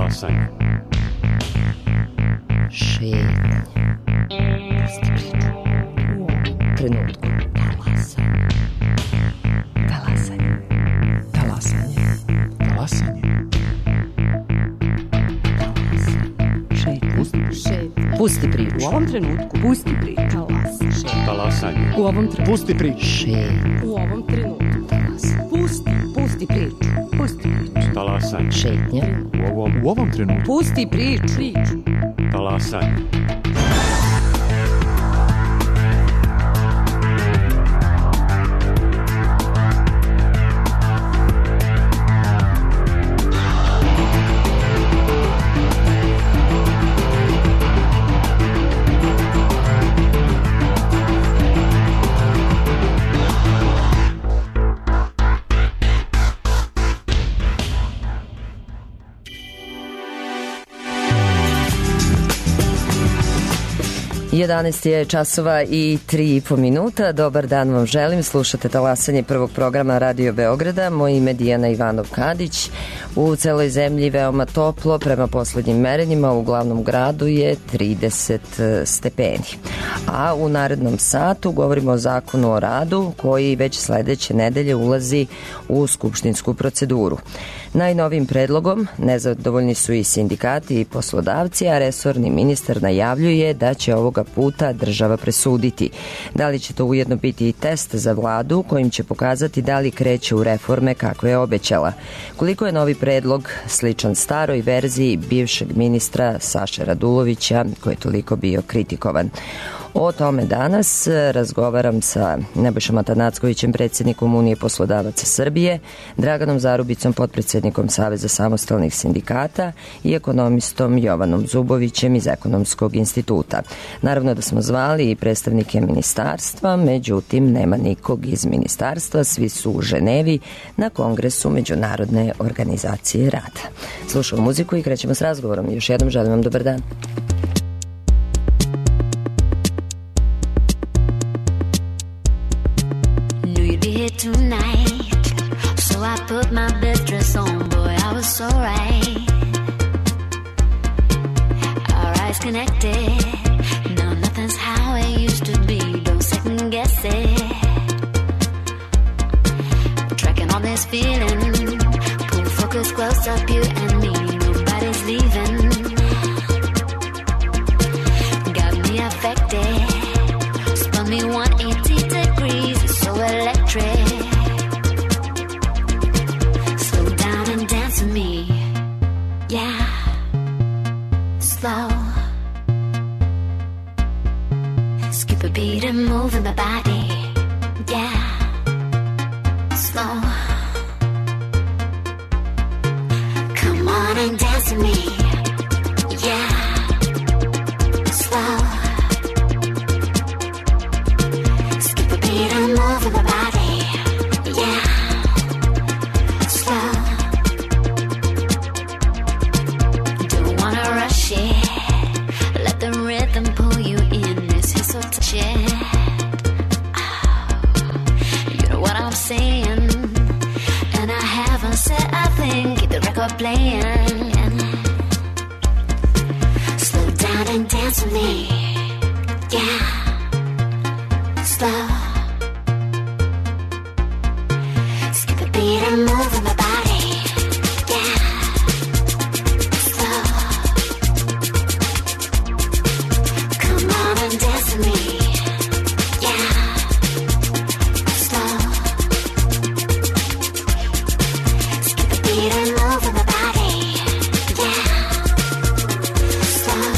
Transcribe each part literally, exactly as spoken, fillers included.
Talasanje. Šetnje. Pusti priču. U ovom trenutku. Talasanje. Talasanje. Talasanje. Talasanje. Šetnje. Pusti priču. U ovom trenutku. Pusti priču. Talasanje. Talasanje. U ovom trenutku. Pusti priču. Šetnje. U ovom trenutku. Talasanje. Pusti. Pusti priču. Pusti priču. Talasanje. Šetnje. U ovom, U ovom trenutku. Pusti priču. Priču. talasanje. jedanaest je časova i tri i po minuta. Dobar dan vam želim. Slušate talasanje prvog programa Radio Beograda. Moje ime je Dijana Ivanov-Kadić. U celoj zemlji veoma toplo. Prema poslednjim merenjima u glavnom gradu je trideset stepeni. A u narednom satu govorimo o zakonu o radu koji već sledeće nedelje ulazi u skupštinsku proceduru. Najnovim predlogom nezadovoljni su i sindikati i poslodavci, a resorni ministar najavljuje da će ovoga puta država presuditi. Da li će to ujedno biti i test za vladu kojim će pokazati da li kreće u reforme kako je obećala. Koliko je novi predlog sličan staroj verziji bivšeg ministra Saše Radulovića koji je toliko bio kritikovan. O tome danas razgovaram sa Nebojšom Atanackovićem, predsjednikom Unije poslodavaca Srbije, Draganom Zarubicom, potpredsjednikom Saveza samostalnih sindikata i ekonomistom Jovanom Zubovićem iz Ekonomskog instituta. Naravno da smo zvali i predstavnike ministarstva, međutim nema nikog iz ministarstva, svi su u Ženevi na kongresu Međunarodne organizacije rada. Slušamo muziku i krećemo s razgovorom. Još jednom želim vam dobar dan. Tonight, so I put my best dress on, boy, I was so right. Our eyes connected, no, nothing's how it used to be, don't second guess it. Tracking on this feeling, pull focus close up, you and me, nobody's leaving. Got me affected, spun me one eighty degrees, it's so electric. Me, yeah, slow. Skip a beat and move in my body, yeah, slow. Come on and dance with me, yeah, slow. Skip a beat and move in my body, yeah, slow. Let the rhythm pull you in. This is so touchy. Oh, you know what I'm saying? And I haven't said a thing. Keep the record playing. Slow down and dance with me. Yeah, slow. Skip a beat and move in my body. Yeah. Dance with me, yeah, slow. Skip the beat and move in my body, yeah, slow.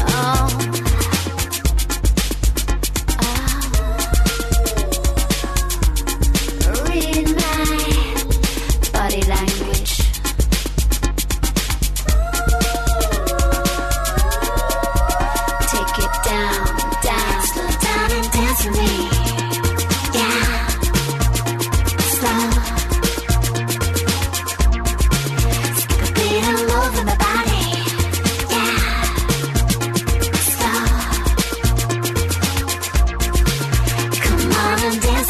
Oh, oh. Read my body language.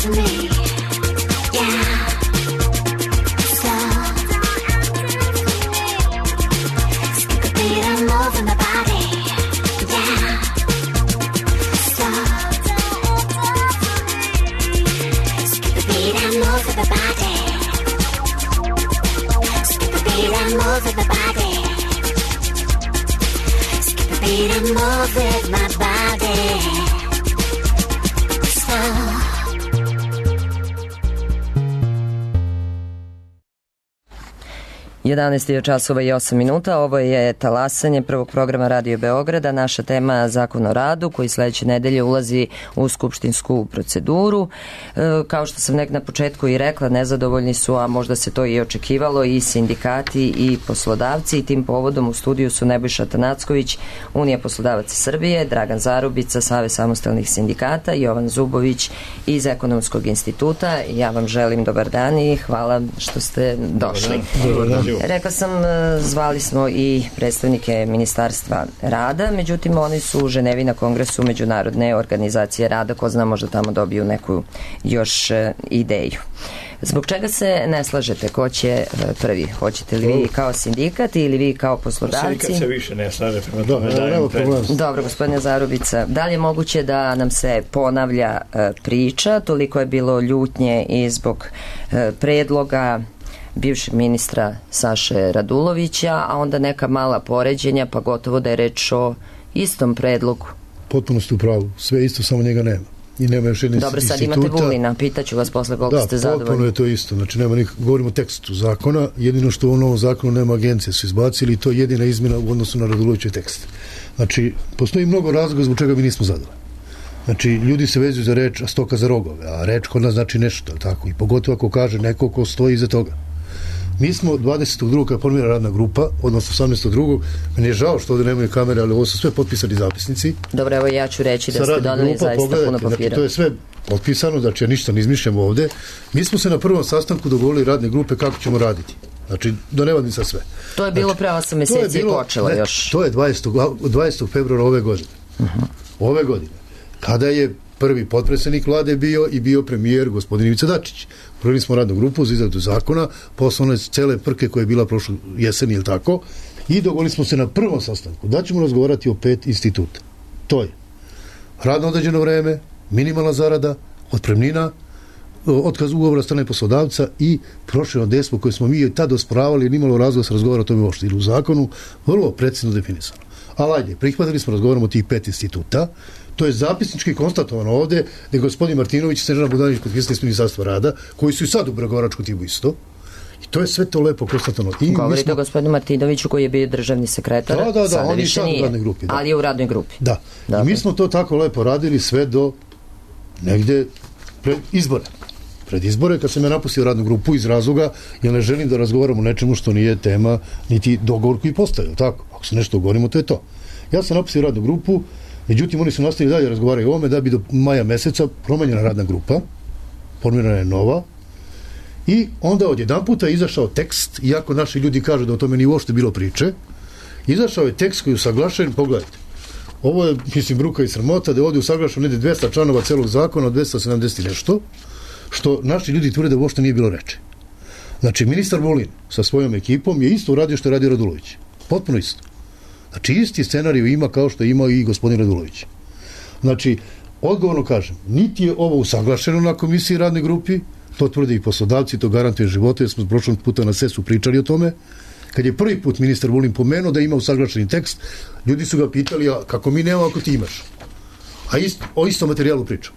Me, yeah, slow. fall. jedanaest je časova i osam minuta. Ovo je talasanje prvog programa Radio Beograda. Naša tema je Zakon o radu koji sledeće nedelje ulazi u skupštinsku proceduru. E, kao što sam nek na početku i rekla, nezadovoljni su, a možda se to i očekivalo, i sindikati i poslodavci. I tim povodom u studiju su Nebojša Tanacković, Unija poslodavaca Srbije, Dragan Zarubica, Savez samostalnih sindikata, Jovan Zubović iz Ekonomskog instituta. Ja vam želim dobar dan i hvala što ste došli. Dobar dan. Rekla sam, zvali smo i predstavnike Ministarstva rada, međutim oni su u Ženevi na kongresu Međunarodne organizacije rada, ko zna, možda tamo dobiju neku još ideju. Zbog čega se ne slažete? Ko će prvi? Hoćete li vi kao sindikat ili vi kao poslodavci? Sindikat se više ne slaže, prema tome dajem prednost. Dobro, gospodine Zarubica, da li je moguće da nam se ponavlja priča? Toliko je bilo ljutnje i zbog predloga bivšeg ministra Saše Radulovića, a onda neka mala poređenja, pa gotovo da je reč o istom predlogu. Potpuno ste u pravu. Sve isto, samo njega nema. I nema još jedne Dobro, sad instituta. imate Vulina, pitaću vas posle koliko da, ste zadovoljni. Da, potpuno je to isto. Znači, nema nik... govorimo o tekstu zakona, jedino što u novom zakonu nema agencije, su izbacili i to je jedina izmjena u odnosu na Radulovićev tekst. Znači, postoji mnogo razloga zbog čega mi nismo zadovoljni. Znači, ljudi se vezuju za reč, a stoka za rogove, a reč kod nas znači nešto, tako, i pogotovo ako kaže neko ko stoji iza toga. Mi smo dvadesetog drugog kada formira radna grupa, odnosno osamnaestog drugog Meni je žao što ovdje nemaju kamere, ali ovo su sve potpisani zapisnici. Dobro, evo ja ću reći da ste doneli zaista puno papira. Znači, to je sve potpisano, znači ja ništa ne izmišljam ovdje. Mi smo se na prvom sastanku dogovorili radne grupe kako ćemo raditi. Znači, do nevadnica sve. To je bilo znači, pre osam meseci i počelo ne, još. To je dvadesetog februara ove godine. Uh-huh. Ove godine. Kada je prvi potpredsjednik vlade bio i bio premijer gospodin Ivica Dačić. Prvili smo radnu grupu za izradu zakona, posle one cele prke koja je bila prošle jeseni ili tako, i dogovorili smo se na prvom sastanku da ćemo razgovarati o pet instituta. To je radno određeno vreme, minimalna zarada, otpremnina, otkaz ugovora strane poslodavca i prošireno dejstvo koje smo mi tad osporavali jer nimalo razloga da se razgovara o tome uopšte. Ili u zakonu vrlo precizno definisano. Ali ajde, prihvatili smo, razgovaramo o tih pet instituta. To je zapisnički konstatovano ovde da je gospodin Martinović i Snežana Bogdanović potpisali iz Ministarstva rada, koji su i sad u pregovaračkom timu isto. I to je sve to lepo konstatovano. Govorite smo... o gospodinu Martinoviću koji je bio državni sekretar. Da, da, da, sada on je više sad nije, u radnoj grupi. Da. Ali je u radnoj grupi. Da. da. I mi smo to tako lepo radili sve do negde pred izbore. Pred izbore, kad sam ja napustio radnu grupu iz razloga, jer ne želim da razgovaram o nečemu što nije tema, niti dogovor koji postavio. Tako, ako se nešto dogovorimo, to je to. Ja sam napustio radnu grupu, međutim, oni su nastavili dalje razgovaraju o ovome da bi do maja meseca promenjena radna grupa, formirana je nova, i onda odjedan puta izašao tekst, iako naši ljudi kažu da o tome nije uopšte bilo priče, izašao je tekst koji je usaglašen, pogledajte, ovo je, mislim, bruka i sramota, da je ovdje usaglašen negdje dvesta članova celog zakona, dvesta sedamdeset nešto, što naši ljudi tvrde da uopšte nije bilo reče. Znači, ministar Vulin sa svojom ekipom je isto uradio što je radio Radulović. Potpuno isto. Znači, isti scenarij ima kao što je imao i gospodin Radulović. Znači, odgovorno kažem, niti je ovo usaglašeno na komisiji radne grupi, to tvrde i poslodavci, to garantuje živote, jer smo prošlog puta na sesu pričali o tome. Kad je prvi put ministar Vulin pomenuo da ima usaglašeni tekst, ljudi su ga pitali, a kako mi nemamo ako ti imaš? A ist, o istom materijalu pričam.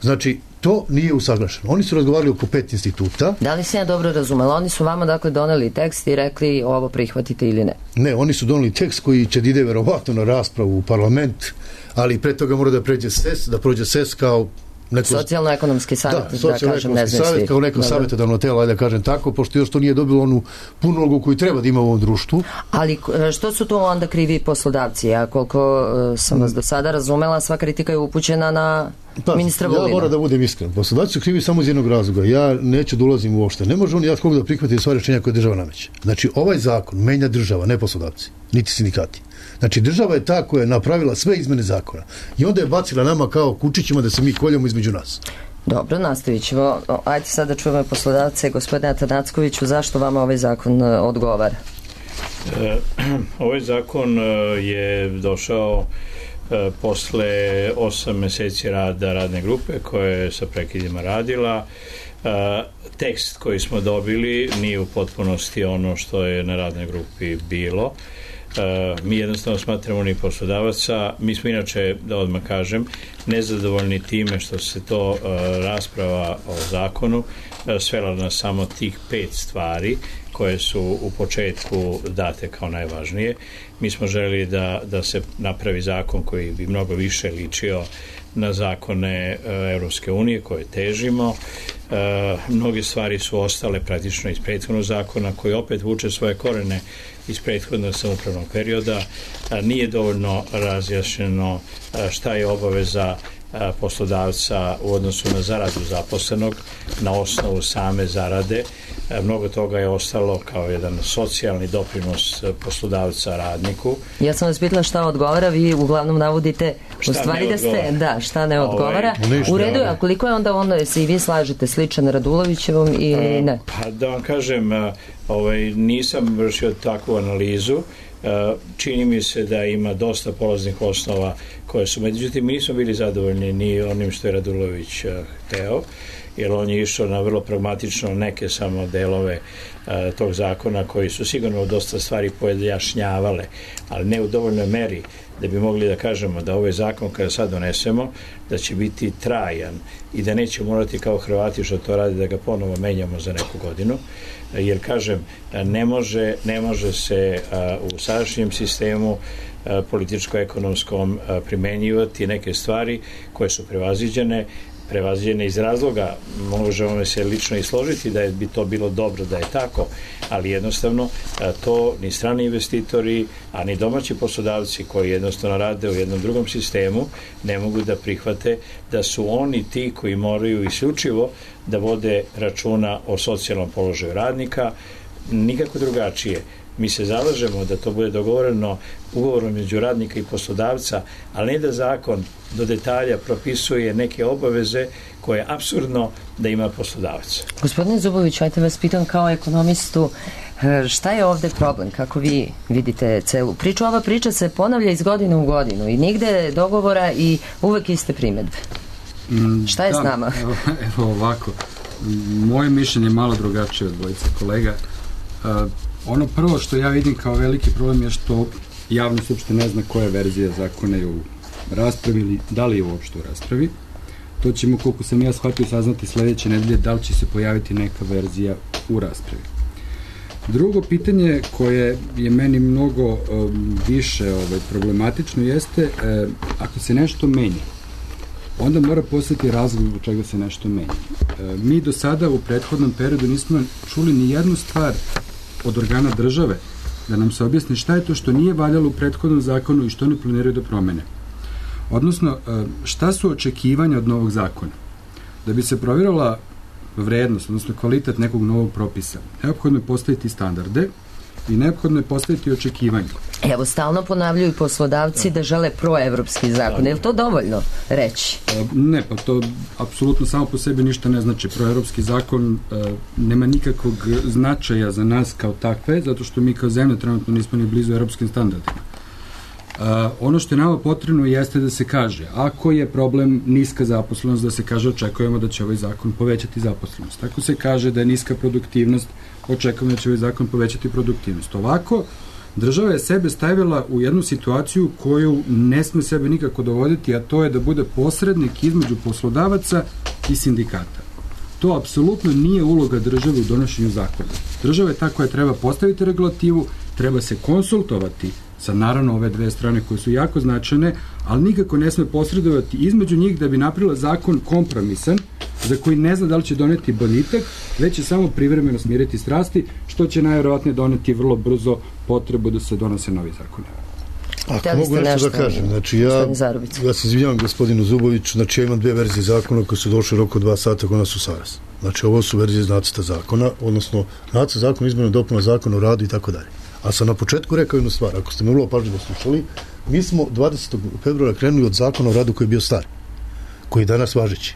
Znači, to nije usaglašeno. Oni su razgovarali oko pet instituta. Da li se ja dobro razumela? Oni su vama dakle doneli tekst i rekli ovo prihvatite ili ne? Ne, oni su doneli tekst koji će da ide verovatno na raspravu u parlament, ali pre toga mora da pređe S E S, da prođe S E S kao neko... Socijalno-ekonomski savjet, da, da kažem, ne znam savjet, kao neko savjetodavno telo, ajde da kažem tako, pošto još to nije dobilo onu punu ulogu koju treba da ima u ovom društvu. Ali što su to onda krivi poslodavci? Ja koliko sam vas do sada razumela, sva kritika je upućena na pa, ministra Vulina. Ja moram da budem iskren. Poslodavci su krivi samo iz jednog razloga. Ja neću da ulazim uopšte. Ne može on ja koga da prihvati sva rešenja koje država nameće. Znači, ovaj zakon menja država, ne poslodavci, niti sindikati. Znači, država je ta koja je napravila sve izmene zakona. I onda je bacila nama kao kučićima da se mi koljamo između nas. Dobro, nastavit ćemo. Ajde sad da čujemo poslodavce. Gospodine Tanackoviću, zašto vama ovaj zakon odgovara? E, ovaj zakon je došao e, posle osam meseci rada radne grupe koja je sa prekidima radila. E, tekst koji smo dobili nije u potpunosti ono što je na radnoj grupi bilo. mi jednostavno smatramo ni poslodavaca. Mi smo inače, da odmah kažem, nezadovoljni time što se to rasprava o zakonu svela na samo tih pet stvari koje su u početku date kao najvažnije. Mi smo želeli da, da se napravi zakon koji bi mnogo više ličio na zakone Evropske unije koje težimo. E, mnoge stvari su ostale praktično iz prethodnog zakona koji opet vuče svoje korene iz prethodnog samoupravnog perioda. E, nije dovoljno razjašnjeno šta je obaveza poslodavca u odnosu na zaradu zaposlenog na osnovu same zarade. Mnogo toga je ostalo kao jedan socijalni doprinos poslodavca radniku. Ja sam vas pitala šta odgovara, vi uglavnom navodite u stvari da ste, da, šta ne odgovara. Ovaj, u redu, a koliko je onda ono, se i vi slažete sličan Radulovićevom i ne? Pa da vam kažem, ovaj, nisam vršio takvu analizu. Čini mi se da ima dosta polaznih osnova koje su, međutim, mi nismo bili zadovoljni ni onim što je Radulović hteo, jer on je išao na vrlo pragmatično neke samo delove a, tog zakona koji su sigurno dosta stvari pojašnjavale, ali ne u dovoljnoj meri da bi mogli da kažemo da ovaj zakon kada sad donesemo da će biti trajan i da neće morati kao Hrvati što to radi da ga ponovo menjamo za neku godinu, jer kažem ne može, ne može se a, u sadašnjem sistemu a, političko-ekonomskom a, primenjivati neke stvari koje su prevaziđene prevaziđene iz razloga, možemo se lično i složiti da je, bi to bilo dobro da je tako, ali jednostavno to ni strani investitori, a ni domaći poslodavci koji jednostavno rade u jednom drugom sistemu ne mogu da prihvate da su oni ti koji moraju isključivo da vode računa o socijalnom položaju radnika, nikako drugačije. Mi se zalažemo da to bude dogovoreno ugovorom među radnika i poslodavca, ali ne da zakon do detalja propisuje neke obaveze koje je apsurdno da ima poslodavac. Gospodine Zubović, ajte vas pitam kao ekonomistu, šta je ovde problem, kako vi vidite celu priču? Ova priča se ponavlja iz godine u godinu i nigde dogovora i uvek iste primedbe. Šta je da, s nama? Evo, evo ovako, moje mišljenje je malo drugačije od dvojice kolega. Uh, ono prvo što ja vidim kao veliki problem je što javnost uopšte ne zna koja verzija zakona je u raspravi ili da li je uopšte u raspravi. To ćemo, koliko sam ja shvatio, saznati sledeće nedelje da li će se pojaviti neka verzija u raspravi. Drugo pitanje koje je meni mnogo um, više ovaj, problematično jeste um, ako se nešto menja, onda mora postati razlog zbog čega se nešto menja. Um, mi do sada u prethodnom periodu nismo čuli ni jednu stvar od organa države da nam se objasni šta je to što nije valjalo u prethodnom zakonu i što ne planiraju da promene. Odnosno, šta su očekivanja od novog zakona? Da bi se provjerila vrednost, odnosno kvalitet nekog novog propisa, neophodno je postaviti standarde i neophodno je postaviti očekivanja. Evo, stalno ponavljaju poslodavci da žele proevropski zakon. Je li to dovoljno reći? Ne, pa to apsolutno samo po sebi ništa ne znači. Proevropski zakon e, nema nikakvog značaja za nas kao takve, zato što mi kao zemlja trenutno nismo ni blizu evropskim standardima. Uh, ono što je nama potrebno jeste da se kaže, ako je problem niska zaposlenost, da se kaže očekujemo da će ovaj zakon povećati zaposlenost. Ako se kaže da je niska produktivnost, očekujemo da će ovaj zakon povećati produktivnost. Ovako, država je sebe stavila u jednu situaciju koju ne sme sebe nikako dovoditi, a to je da bude posrednik između poslodavaca i sindikata. To apsolutno nije uloga države u donošenju zakona. Država je ta koja treba postaviti regulativu, treba se konsultovati sa naravno ove dve strane koje su jako značajne, ali nikako ne sme posredovati između njih da bi napravila zakon kompromisan za koji ne zna da li će doneti boljitak, već će samo privremeno smiriti strasti, što će najverovatnije doneti vrlo brzo potrebu da se donose novi zakon. Ako mogu nešto da kažem, znači ja, ja se izvinjavam gospodinu Zuboviću, znači ja imam dve verzije zakona koje su došle roko dva sata kod nas u Saras. Znači ovo su verzije iz nacrta zakona, odnosno nacrt zakona, izmjena dopuna zakona o radu i tako dalje. A sam na početku rekao jednu stvar, ako ste me vrlo pažljivo slušali, mi smo dvadesetog februara krenuli od zakona o radu koji je bio star, koji je danas važeći.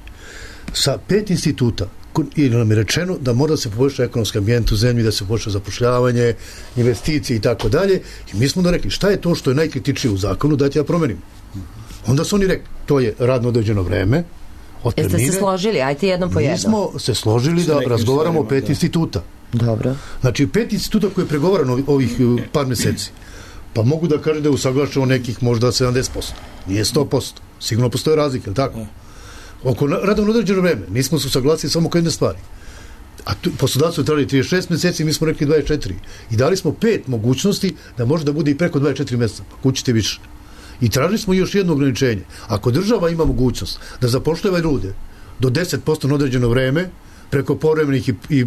Sa pet instituta, i nam je rečeno da mora da se poboljša ekonomski ambijent u zemlji, da se poboljša zapošljavanje, investicije i tako dalje. I mi smo da rekli, šta je to što je najkritičnije u zakonu, dajte ja promenim. Onda su oni rekli, to je radno određeno vreme, Jeste se složili, ajte jednom po jednom. Mi smo se složili da razgovaramo o pet instituta. Dobro. Znači, pet instituta koje je pregovarano ovih par meseci. Pa mogu da kažem da je usaglašeno nekih možda sedamdeset posto. Nije sto posto. Sigurno postoje razlike, tako? Oko rada na određeno vreme. Nismo se usaglasili samo oko jedne stvari. A tu, poslodavci su trebali trideset šest mjeseci, mi smo rekli dvadeset četiri. I dali smo pet mogućnosti da može da bude i preko dvadeset četiri mjeseca. Pa kućite više. I tražili smo još jedno ograničenje. Ako država ima mogućnost da zapošljava ljude do deset posto na određeno vreme, preko povremenih i, i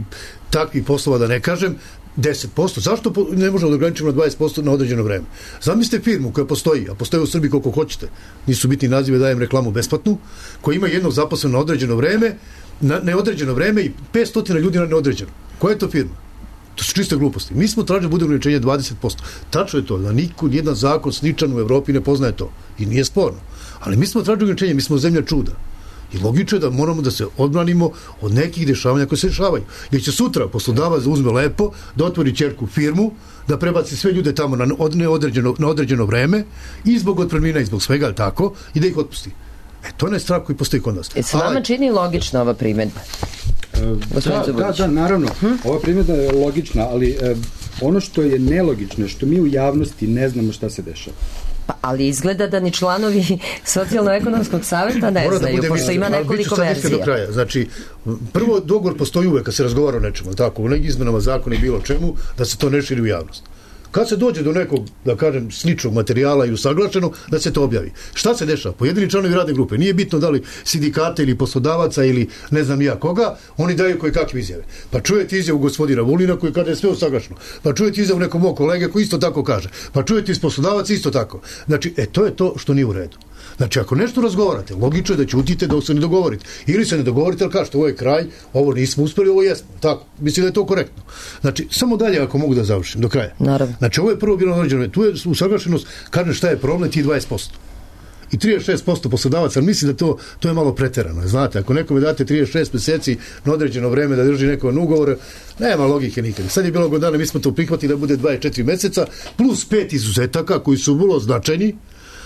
takvih poslova da ne kažem, deset posto. Zašto ne možemo da ograničimo na dvadeset posto na određeno vreme? Zamislite firmu koja postoji, a postoji u Srbiji koliko hoćete, nisu bitni nazive, dajem reklamu besplatnu, koja ima jednog zaposlenog na određeno vreme, na neodređeno vreme i petsto ljudi na neodređeno. Koja je to firma? To su čiste gluposti. Mi smo tražili da bude ograničenje dvadeset posto. Tačno je to, da niko, nijedan zakon sličan u Evropi ne poznaje to. I nije sporno. Ali mi smo tražili ograničenje, mi smo zemlja čuda. I logično je da moramo da se odbranimo od nekih dešavanja koje se dešavaju. Jer će sutra poslodavac uzme lepo, da otvori ćerku firmu, da prebaci sve ljude tamo na neodređeno, na određeno vreme i zbog otpremnina i zbog svega, ali tako, i da ih otpusti. E, to je strah koji postoji kod nas. E, se vama čini logična ova primjedba? Da, da, da, naravno. Hm? Ova primjedba je logična, ali e, ono što je nelogično je što mi u javnosti ne znamo šta se dešava. Pa, ali izgleda da ni članovi socijalno-ekonomskog savjeta ne Mora znaju, da pošto ima nekoliko verzija. Do kraja. Znači, prvo, dogovor postoji uvek kad se razgovara o nečemu, tako, u nekim izmenama zakona i bilo čemu, da se to ne širi u javnost. Kad se dođe do nekog, da kažem, sličnog materijala i usaglašeno, da se to objavi. Šta se dešava? Pojedini članovi radne grupe, nije bitno da li sindikata ili poslodavaca ili ne znam ja koga, oni daju koje kakve izjave. Pa čujete izjavu gospodina Vulina koji kaže sve usaglašeno. Pa čujete izjavu nekog mog kolege koji isto tako kaže. Pa čujete iz poslodavaca isto tako. Znači, e, to je to što nije u redu. Znači, ako nešto razgovarate, logično je da ćutite dok se ne dogovorite. Ili se ne dogovorite, ali kažete, ovo je kraj, ovo nismo uspeli, ovo jesmo. Tako, mislim da je to korektno. Znači, samo dalje ako mogu da završim, do kraja. Naravno. Znači, ovo je prvo bilo određeno. Tu je usaglašenost, kaže šta je problem, ti dvadeset posto. I trideset šest posto poslodavaca, ali mislim da to, to je malo preterano. Znate, ako nekome date trideset šest mjeseci na određeno vreme da drži neko ugovor, nema logike nikad. Sad je bilo godina, mi smo to prihvatili da bude dvadeset četiri mjeseca, plus pet izuzetaka koji su vrlo značajni.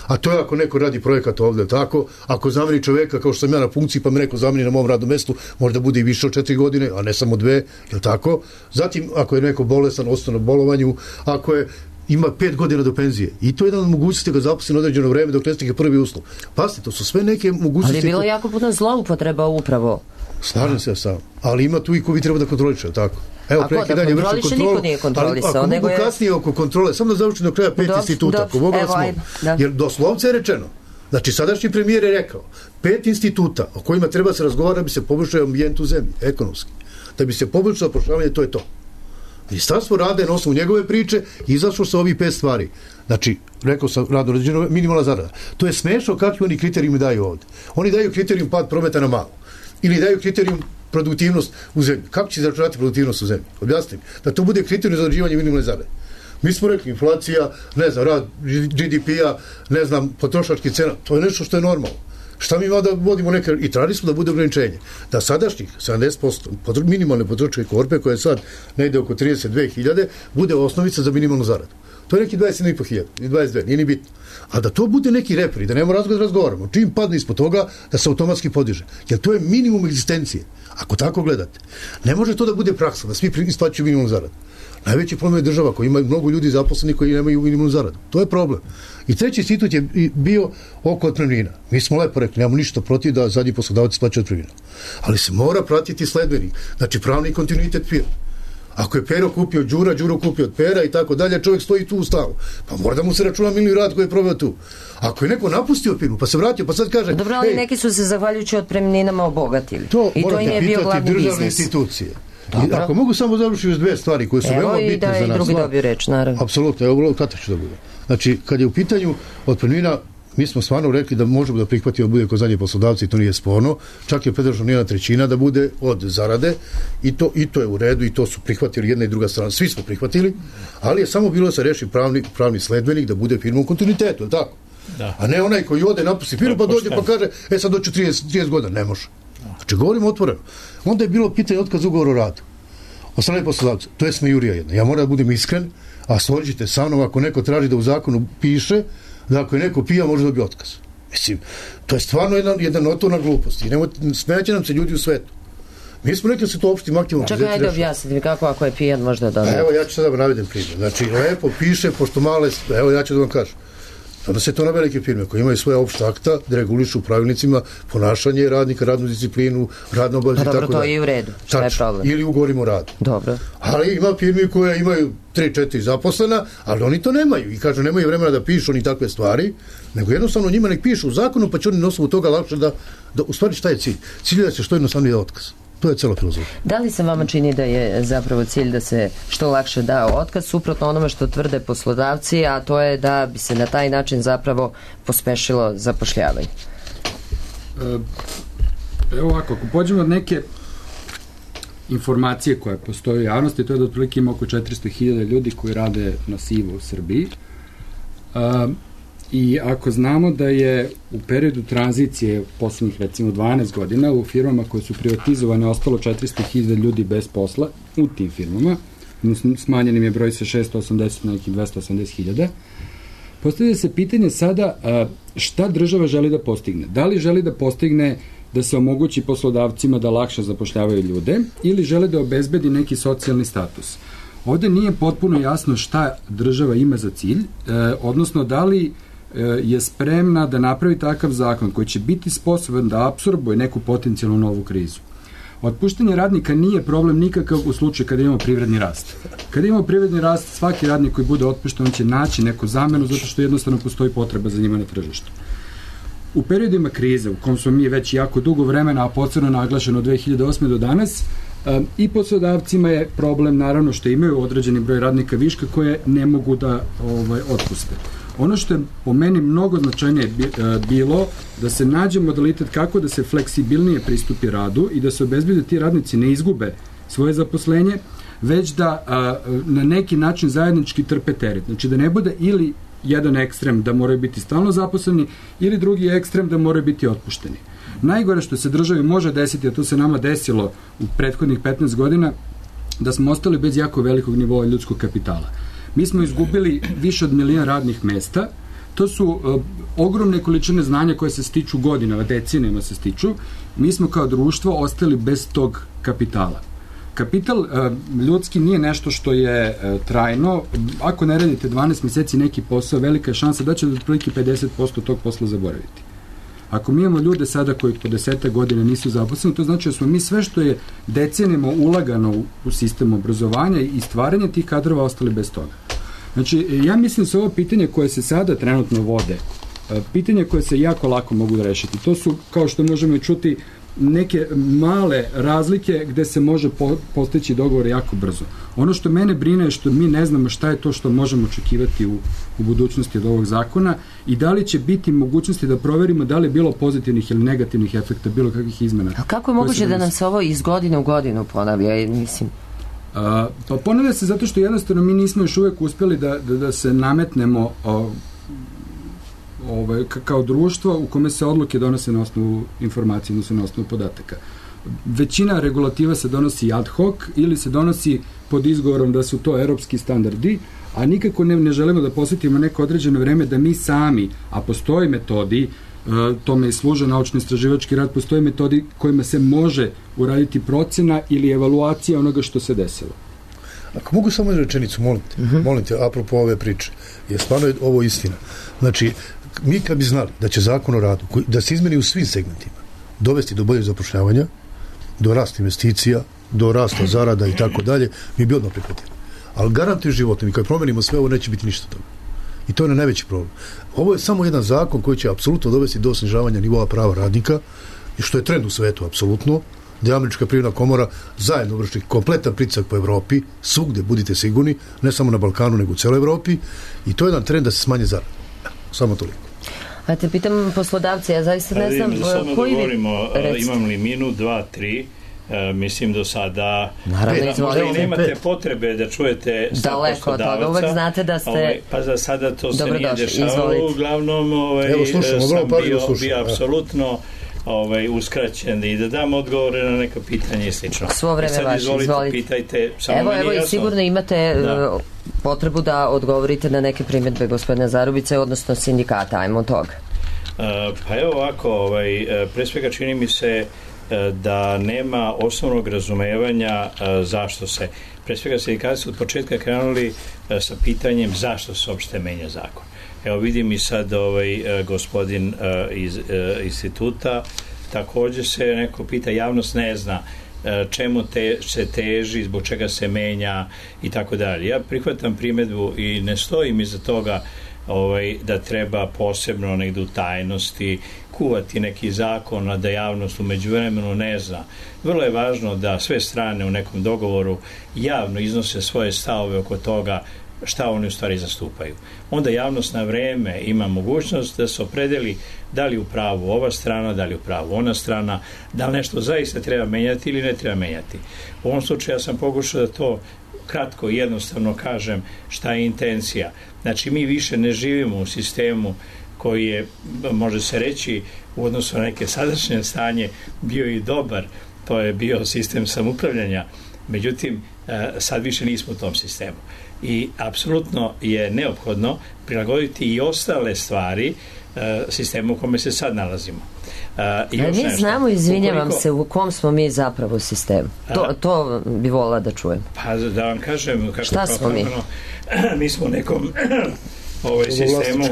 A to je ako neko radi projekat ovdje, tako, ako zameni čovjeka kao što sam ja na funkciji, pa me neko zameni na mom radnom mjestu, možda bude i više od četiri godine, a ne samo dve, je tako? Zatim, ako je neko bolestan, ostane na bolovanju, ako je ima pet godina do penzije. I to je jedan od mogućnosti ga zaposli na određeno vreme dok ne stigne prvi uslov. Pazite, to su sve neke mogućnosti. Ali je bilo jako puno zloupotreba upravo. Slažem se sam. Ali ima tu i ko vi treba da kontroliče, tako? Evo, ako da kontroliše, niko nije kontrolisao. Ali ako mogu je... kasnije oko kontrole, samo da završim do kraja pet dob, instituta, dob, ako mogu evo, ajde, da. Jer doslovce je rečeno, znači sadašnji premijer je rekao, pet instituta o kojima treba se razgovarati da bi se poboljšao ambijent u zemlji, ekonomski. Da bi se poboljšao zapošljavanje, to je to. Ministarstvo rada je na osnovu njegove priče izašlo sa ovih pet stvari. Znači, rekao sam, radno određeno, minimalna zarada. To je smešno kakvi oni kriterijumi daju ovdje. Oni daju kriterijum pad prometa na malo. Ili daju kriterijum produktivnost u zemlji. Kako će izračunati produktivnost u zemlji? Objasnim. Da to bude kriterijum za određivanje minimalne zarade. Mi smo rekli, inflacija, ne znam, rad G D P-a, ne znam, potrošački cena, to je nešto što je normalno. Šta mi ima da vodimo neke, i tražili smo da bude ograničenje. Da sadašnjih sedamdeset posto minimalne potrošačke korpe, koje je sad negde oko trideset dve hiljade, bude osnovica za minimalnu zaradu. To je neki dvadeset sedam i po hiljada, ili dvadeset dve, nije ni bitno. A da to bude neki reperi, da nema razgovor da razgovaramo. Čim padne ispod toga, da se automatski podiže. Jer to je minimum egzistencije. Ako tako gledate. Ne može to da bude praksa, da svi isplaćuju minimum zaradu. Najveći problem je država koja ima mnogo ljudi zaposlenih koji nemaju minimum zaradu. To je problem. I treći institut je bio oko otpremnina. Mi smo lepo rekli, nemamo ništa protiv da zadnji poslodavac isplaća otpremninu. Ali se mora pratiti sledbenik. Znači pravni kontinuitet firme. Ako je Pero kupio Đura, Đuro kupio od Pera i tako dalje, čovjek stoji tu u stavu. Pa mora da mu se računa minuli rad koji je proveo tu. Ako je neko napustio firmu, pa se vratio, pa sad kaže... Dobro, ali neki su se zahvaljujući otpremninama obogatili. To i to im je bio glavni biznis. Državne institucije. I ako mogu samo završiti uz dve stvari koje su evo veoma bitne da za nas. Evo i drugi dobiju reč, naravno. Apsolutno, evo kada ću da bude. Znači, kad je u pitanju otpremnina, mi smo stvarno rekli da možemo da prihvatimo da bude kod zadnje poslodavci, to nije sporno. Čak je predloženo jedna trećina da bude od zarade i to, i to je u redu i to su prihvatili jedna i druga strana. Svi smo prihvatili, ali je samo bilo da se reši pravni, pravni sledbenik da bude firma u kontinuitetu, je tako? Da. A ne onaj koji ode, napusti firmu pa dođe pa kaže, e sad doću trideset, trideset godina, ne može. Znači, govorimo otvoreno. Onda je bilo pitanje otkaz ugovora o radu. Od strane poslodavca. To je smejurija jedna. Ja moram da budem iskren, a složite sa mnom ako neko traži da u zakonu piše da ako je neko pija može dobiti otkaz. Mislim, to je stvarno jedna, jedna notorna glupost. I nemojte, smejaće nam se ljudi u svetu. Mi smo rekli da se to opštim aktivom... Čekaj, ajde objasniti mi kako ako je pijan možda da... Evo, ja ću sad da vam navedem primjer. Znači, lepo piše, pošto male... Evo, ja ću da vam kažem. Onda se to na velike firme koje imaju svoje opšte akta da regulišu u pravilnicima ponašanje radnika, radnu disciplinu, radno obavezu i tako da. Pa dobro, to je i u redu. Šta je problem? Ili ugovorimo o radu. Dobro. Ali ima firme koje imaju tri četiri zaposlena, ali oni to nemaju. I kažu, nemaju vremena da pišu ni takve stvari, nego jednostavno njima nek pišu u zakonu, pa će oni na osnovu toga lakše da, da... U stvari, šta je cilj? Cilj je da se što jednostavnije da otkaz. To je cela filozofija. Da li se vama čini da je zapravo cilj da se što lakše da otkaz, suprotno onome što tvrde poslodavci, a to je da bi se na taj način zapravo pospešilo zapošljavanje? Evo ovako, ako pođemo od neke informacije koje postoje u javnosti, to je da otprilike ima oko četiristo hiljada ljudi koji rade na sivo u Srbiji. I ako znamo da je u periodu tranzicije poslednjih recimo dvanaest godina u firmama koje su privatizovane ostalo četiristo hiljada ljudi bez posla u tim firmama, smanjen im je broj sa šesto osamdeset na nekih dvesta osamdeset hiljada, postavlja se pitanje sada šta država želi da postigne. Da li želi da postigne da se omogući poslodavcima da lakše zapošljavaju ljude ili žele da obezbedi neki socijalni status. Ovde nije potpuno jasno šta država ima za cilj, odnosno da li je spremna da napravi takav zakon koji će biti sposoban da apsorbuje neku potencijalnu novu krizu. Otpuštanje radnika nije problem nikakav u slučaju kada imamo privredni rast. Kada imamo privredni rast, svaki radnik koji bude otpušten, on će naći neku zamenu zato što jednostavno postoji potreba za njima na tržištu. U periodima krize, u kom smo mi već jako dugo vremena, a posebno naglašeno od dve hiljade osme do danas, i poslodavcima je problem naravno što imaju određeni broj radnika viška koje ne mogu da ovaj, otpuste. Ono što je po meni mnogo značajnije bilo da se nađe modalitet kako da se fleksibilnije pristupi radu i da se obezbedi da ti radnici ne izgube svoje zaposlenje, već da a, na neki način zajednički trpe teret. Znači da ne bude ili jedan ekstrem da moraju biti stalno zaposleni ili drugi ekstrem da moraju biti otpušteni. Najgore što se državi može desiti, a to se nama desilo u prethodnih petnaest godina, da smo ostali bez jako velikog nivoa ljudskog kapitala. Mi smo izgubili više od milion radnih mesta, to su uh, ogromne količine znanja koje se stiču godinama, decenijama se stiču, mi smo kao društvo ostali bez tog kapitala. Kapital uh, ljudski nije nešto što je uh, trajno, ako ne radite dvanaest meseci neki posao, velika je šansa da ćete otprilike pedeset posto tog posla zaboraviti. Ako mi imamo ljude sada koji po deseta godina nisu zaposleni, to znači da smo mi sve što je decenijama ulagano u, u sistem obrazovanja i stvaranje tih kadrova ostali bez toga. Znači, ja mislim da su ovo pitanje koje se sada trenutno vode, pitanje koje se jako lako mogu da rešiti. To su, kao što možemo i čuti, neke male razlike gde se može po, postići dogovor jako brzo. Ono što mene brine je što mi ne znamo šta je to što možemo očekivati u, u budućnosti od ovog zakona i da li će biti mogućnosti da proverimo da li je bilo pozitivnih ili negativnih efekta, bilo kakvih izmena. A kako je moguće da nam se ovo iz godine u godinu ponavlja? Mislim... A, pa ponavlja se zato što jednostavno mi nismo još uvek uspjeli da, da, da se nametnemo o, ovaj, kao društvo u kome se odluke donose na osnovu informacije, odnosno na osnovu podataka. Većina regulativa se donosi ad hoc ili se donosi pod izgovorom da su to europski standardi, a nikako ne, ne želimo da posvetimo neko određeno vreme da mi sami, a postoji metodi, tome i služe naučno-istraživački rad, postoje metodi kojima se može uraditi procena ili evaluacija onoga što se desilo. Ako mogu samo jednu rečenicu, molim te, uh-huh. molim te, apropo ove priče, je stvarno ovo istina. Znači, mi kad bi znali da će zakon o radu, koji, da se izmeni u svim segmentima, dovesti do boljeg zapošljavanja, do rasta investicija, do rasta zarada i tako dalje, mi bi odmah prihvatili. Ali garantuju životom i kad promenimo sve ovo, neće biti ništa toga. I to je najveći problem. Ovo je samo jedan zakon koji će apsolutno dovesti do snižavanja nivoa prava radnika, i što je trend u svetu apsolutno, da je Američka privredna komora zajedno vrši kompletan pritisak po Evropi, svugde budite sigurni, ne samo na Balkanu, nego u celoj Evropi, i to je jedan trend da se smanje zarada. Samo toliko. A te pitam poslodavce, ja zaista ne znam Samo koji da govorimo, vi... imam li minut, dva, tri, Uh, mislim do sada naravno, možda i nemate potrebe da čujete daleko od toga, uvek znate da ste ovaj, pa za sada to se nije došli. dešavalo, Izvolite. Uglavnom ovaj, Evo, slušam, sam bio, bio apsolutno ovaj, uskraćen i da dam odgovore na neka pitanja i slično. Svo vreme vaše, izvolite, izvolite. Pitajte, samo evo, meni evo jasno. I sigurno imate da. uh, potrebu da odgovorite na neke primjedbe gospodina Zarubice, odnosno sindikata, ajmo od toga. Uh, pa evo ovako, ovaj, pre svega čini mi se da nema osnovnog razumevanja zašto se, pre svega sindikati su od početka krenuli sa pitanjem zašto se uopšte menja zakon. Evo vidim i sad ovaj gospodin iz instituta takođe se neko pita, javnost ne zna čemu te, se teži, zbog čega se menja i tako dalje. Ja prihvatam primedbu i ne stojim iza toga ovaj, da treba posebno negde u tajnosti kuvati neki zakon, a da javnost u međuvremenu ne zna. Vrlo je važno da sve strane u nekom dogovoru javno iznose svoje stavove oko toga šta oni u stvari zastupaju. Onda javnost na vreme ima mogućnost da se opredeli da li u pravu ova strana, da li u pravu ona strana, da li nešto zaista treba menjati ili ne treba menjati. U ovom slučaju ja sam pokušao da to kratko i jednostavno kažem šta je intencija. Znači mi više ne živimo u sistemu koji je, može se reći, u odnosu na neke sadašnje stanje bio i dobar, to je bio sistem samoupravljanja. Međutim, sad više nismo u tom sistemu. I apsolutno je neophodno prilagoditi i ostale stvari sistemu u kome se sad nalazimo. I još mi nešto. Znamo, izvinjavam Ukoliko... se, u kom smo mi zapravo sistemu. To, to bi volila da čujem. Pa da vam kažem, kako šta smo mi? Mi smo u nekom ovaj, sistemu,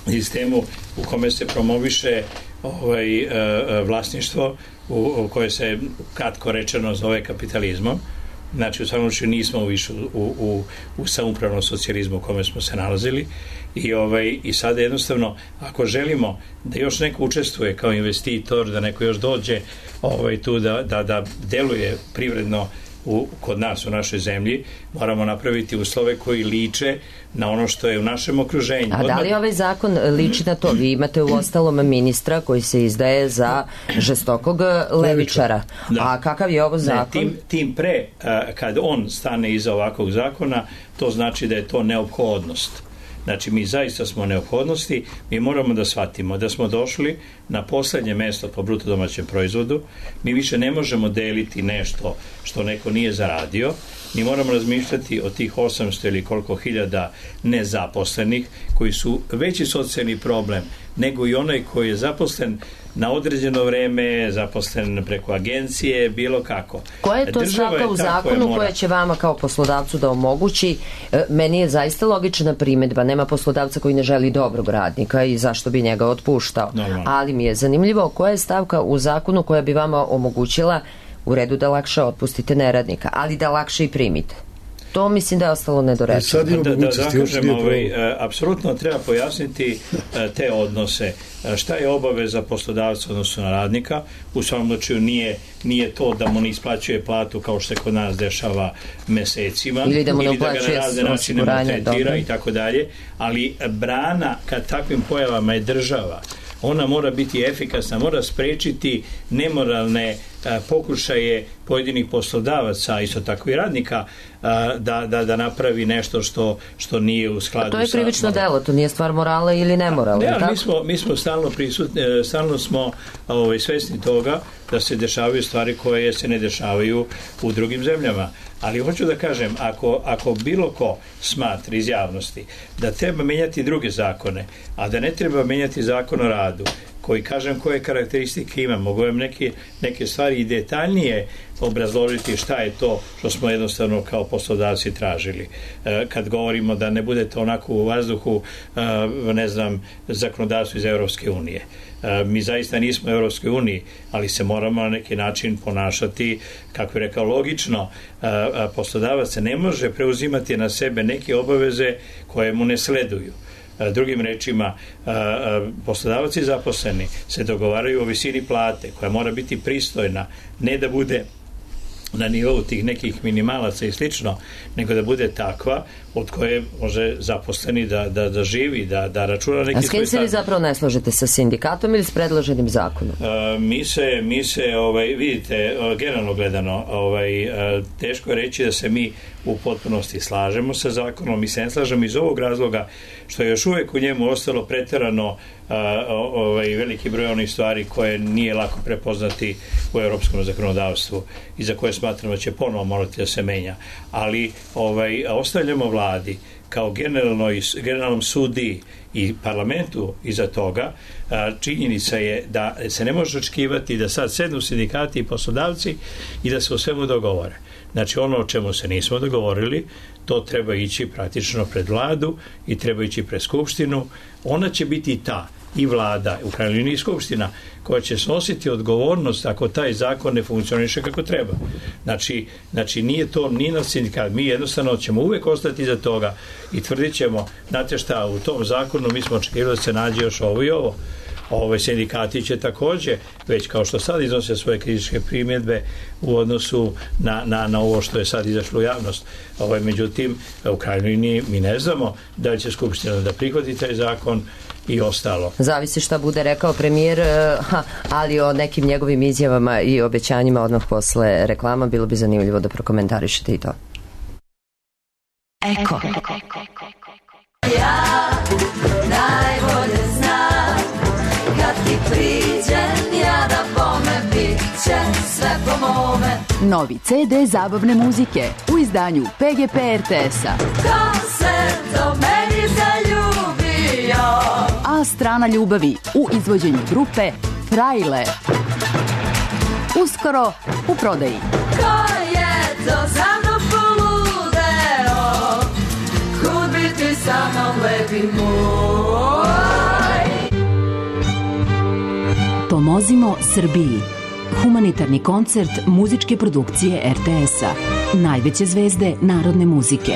sistemu u kome se promoviše ovaj, vlasništvo, u, u koje se kratko rečeno zove kapitalizmom. Znači, u svakom slučaju nismo više u, u, u samoupravnom socijalizmu u kome smo se nalazili i, ovaj, i sada jednostavno, ako želimo da još neko učestvuje kao investitor, da neko još dođe ovaj, tu da, da, da deluje privredno u, kod nas u našoj zemlji, moramo napraviti uslove koji liče na ono što je u našem okruženju. A da li ovaj zakon liči na to? Vi imate u ostalom ministra koji se izdaje za žestokog levičara. Da. A kakav je ovo zakon? Ne, tim, tim pre, kad on stane iza ovakvog zakona, to znači da je to neophodnost. Znači, mi zaista smo neophodnosti, mi moramo da shvatimo da smo došli na poslednje mesto po bruto domaćem proizvodu, mi više ne možemo deliti nešto što neko nije zaradio, mi moramo razmišljati o tih osamsto ili koliko hiljada nezaposlenih koji su veći socijalni problem nego i onaj koji je zaposlen na određeno vreme, zaposlen preko agencije, bilo kako. Koja je to Država stavka je u zakonu mora... koja će vama kao poslodavcu da omogući? Meni je zaista logična primedba, nema poslodavca koji ne želi dobrog radnika i zašto bi njega otpuštao. Normalno. Ali mi je zanimljivo koja je stavka u zakonu koja bi vama omogućila u redu da lakše otpustite neradnika, ali da lakše i primite. To mislim da je ostalo nedorečeno. Da, da, da zakažem, ovaj, apsolutno treba pojasniti te odnose. Šta je obaveza poslodavca odnosno na radnika? U svom slučaju nije, nije to da mu ne isplaćuje platu kao što se kod nas dešava mesecima, ili da mu ne ili da ga na razne načine maltretira i tako dalje, ali brana kad takvim pojavama je država. Ona mora biti efikasna, mora sprečiti nemoralne a, pokušaje pojedinih poslodavaca, isto tako i radnika, a, da, da, da napravi nešto što, što nije u skladu sa... A to je krivično delo, to nije stvar morala ili nemorala. Ne, ali mi smo, mi smo stalno prisutni, stalno smo ovaj, svesni toga da se dešavaju stvari koje se ne dešavaju u drugim zemljama. Ali hoću da kažem, ako, ako bilo ko smatra iz javnosti da treba menjati druge zakone, a da ne treba menjati zakon o radu, koji kažem koje karakteristike ima, mogu vam neke, neke stvari i detaljnije obrazložiti šta je to što smo jednostavno kao poslodavci tražili. E, kad govorimo da ne budete onako u vazduhu, e, ne znam, zakonodavstvo iz Evropske unije. E, mi zaista nismo u Evropskoj uniji, ali se moramo na neki način ponašati, kako je rekao, logično. E, poslodavac se ne može preuzimati na sebe neke obaveze koje mu ne sleduju. Drugim rečima, poslodavac i zaposleni se dogovaraju o visini plate koja mora biti pristojna, ne da bude na nivou tih nekih minimalaca i slično, nego da bude takva od koje može zaposleni da, da, da živi, da, da računa neki svoj stav. A s kim se vi zapravo ne slažete, sa sindikatom ili s predloženim zakonom? A, mi se, mi se ovaj, vidite, generalno gledano, ovaj, a, teško je reći da se mi u potpunosti slažemo sa zakonom, mi se ne slažemo iz ovog razloga što je još uvek u njemu ostalo preterano a, ovaj, veliki broj onih stvari koje nije lako prepoznati u evropskom zakonodavstvu i za koje smatramo da će ponovo morati da se menja. Ali ovaj, ostavljamo vladi kao generalnoj, generalnom sudi i parlamentu iza toga, činjenica je da se ne može očekivati da sad sednu sindikati i poslodavci i da se o svemu dogovore. Znači, ono o čemu se nismo dogovorili, to treba ići praktično pred vladu i treba ići pred skupštinu. Ona će biti ta, i vlada, u krajnjoj liniji skupština, koja će snositi odgovornost ako taj zakon ne funkcioniše kako treba. Znači, znači nije to ni na sindikat. Mi jednostavno ćemo uvek ostati iza toga i tvrdit ćemo, znate šta, u tom zakonu mi smo očekivali da se nađe još ovo i ovo. Ove sindikati će takođe, već kao što sad iznose svoje kritičke primjedbe u odnosu na, na, na ovo što je sad izašlo u javnost. Ove, međutim, u krajnjoj liniji mi ne znamo da li će Skupština da prihvati taj zakon i ostalo. Zavisi šta bude rekao premijer, ha, ali o nekim njegovim izjavama i obećanjima odmah posle reklama bilo bi zanimljivo da prokomentarišete i to. Eko. Ja najbolje znam kad ti priđem ja da bome bit će sve po mome. Novi ce de zabavne muzike u izdanju pe ge pe er te es-a. Ko se do meni zaljubio? A strana ljubavi u izvođenju grupe Frajle. Uskoro u prodaji. Ko je to za mnom poludeo? Kud bi ti sa mnom lepi moj? Pomozimo Srbiji. Humanitarni koncert muzičke produkcije er te es-a. Najveće zvezde narodne muzike.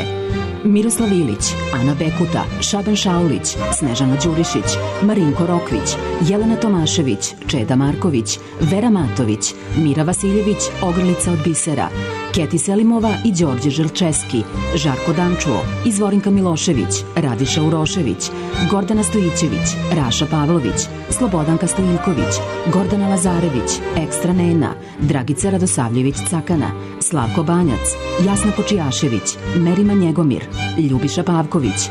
Miroslav Ilić, Ana Bekuta, Šaban Šaulić, Snežana Đurišić, Marinko Rokvić, Jelena Tomašević, Čeda Marković, Vera Matović, Mira Vasiljević, Ogrlica od bisera, Keti Selimova i Đorđe Želčeski, Žarko Dančuo, Izvorinka Milošević, Radiša Urošević, Gordana Stojićević, Raša Pavlović, Slobodanka Stojiljković, Gordana Lazarević, Ekstra Nena, Dragica Radosavljević Cakana, Slavko Banjac, Jasna Kočijašević, Merima Njegomir, Ljubiša Pavković.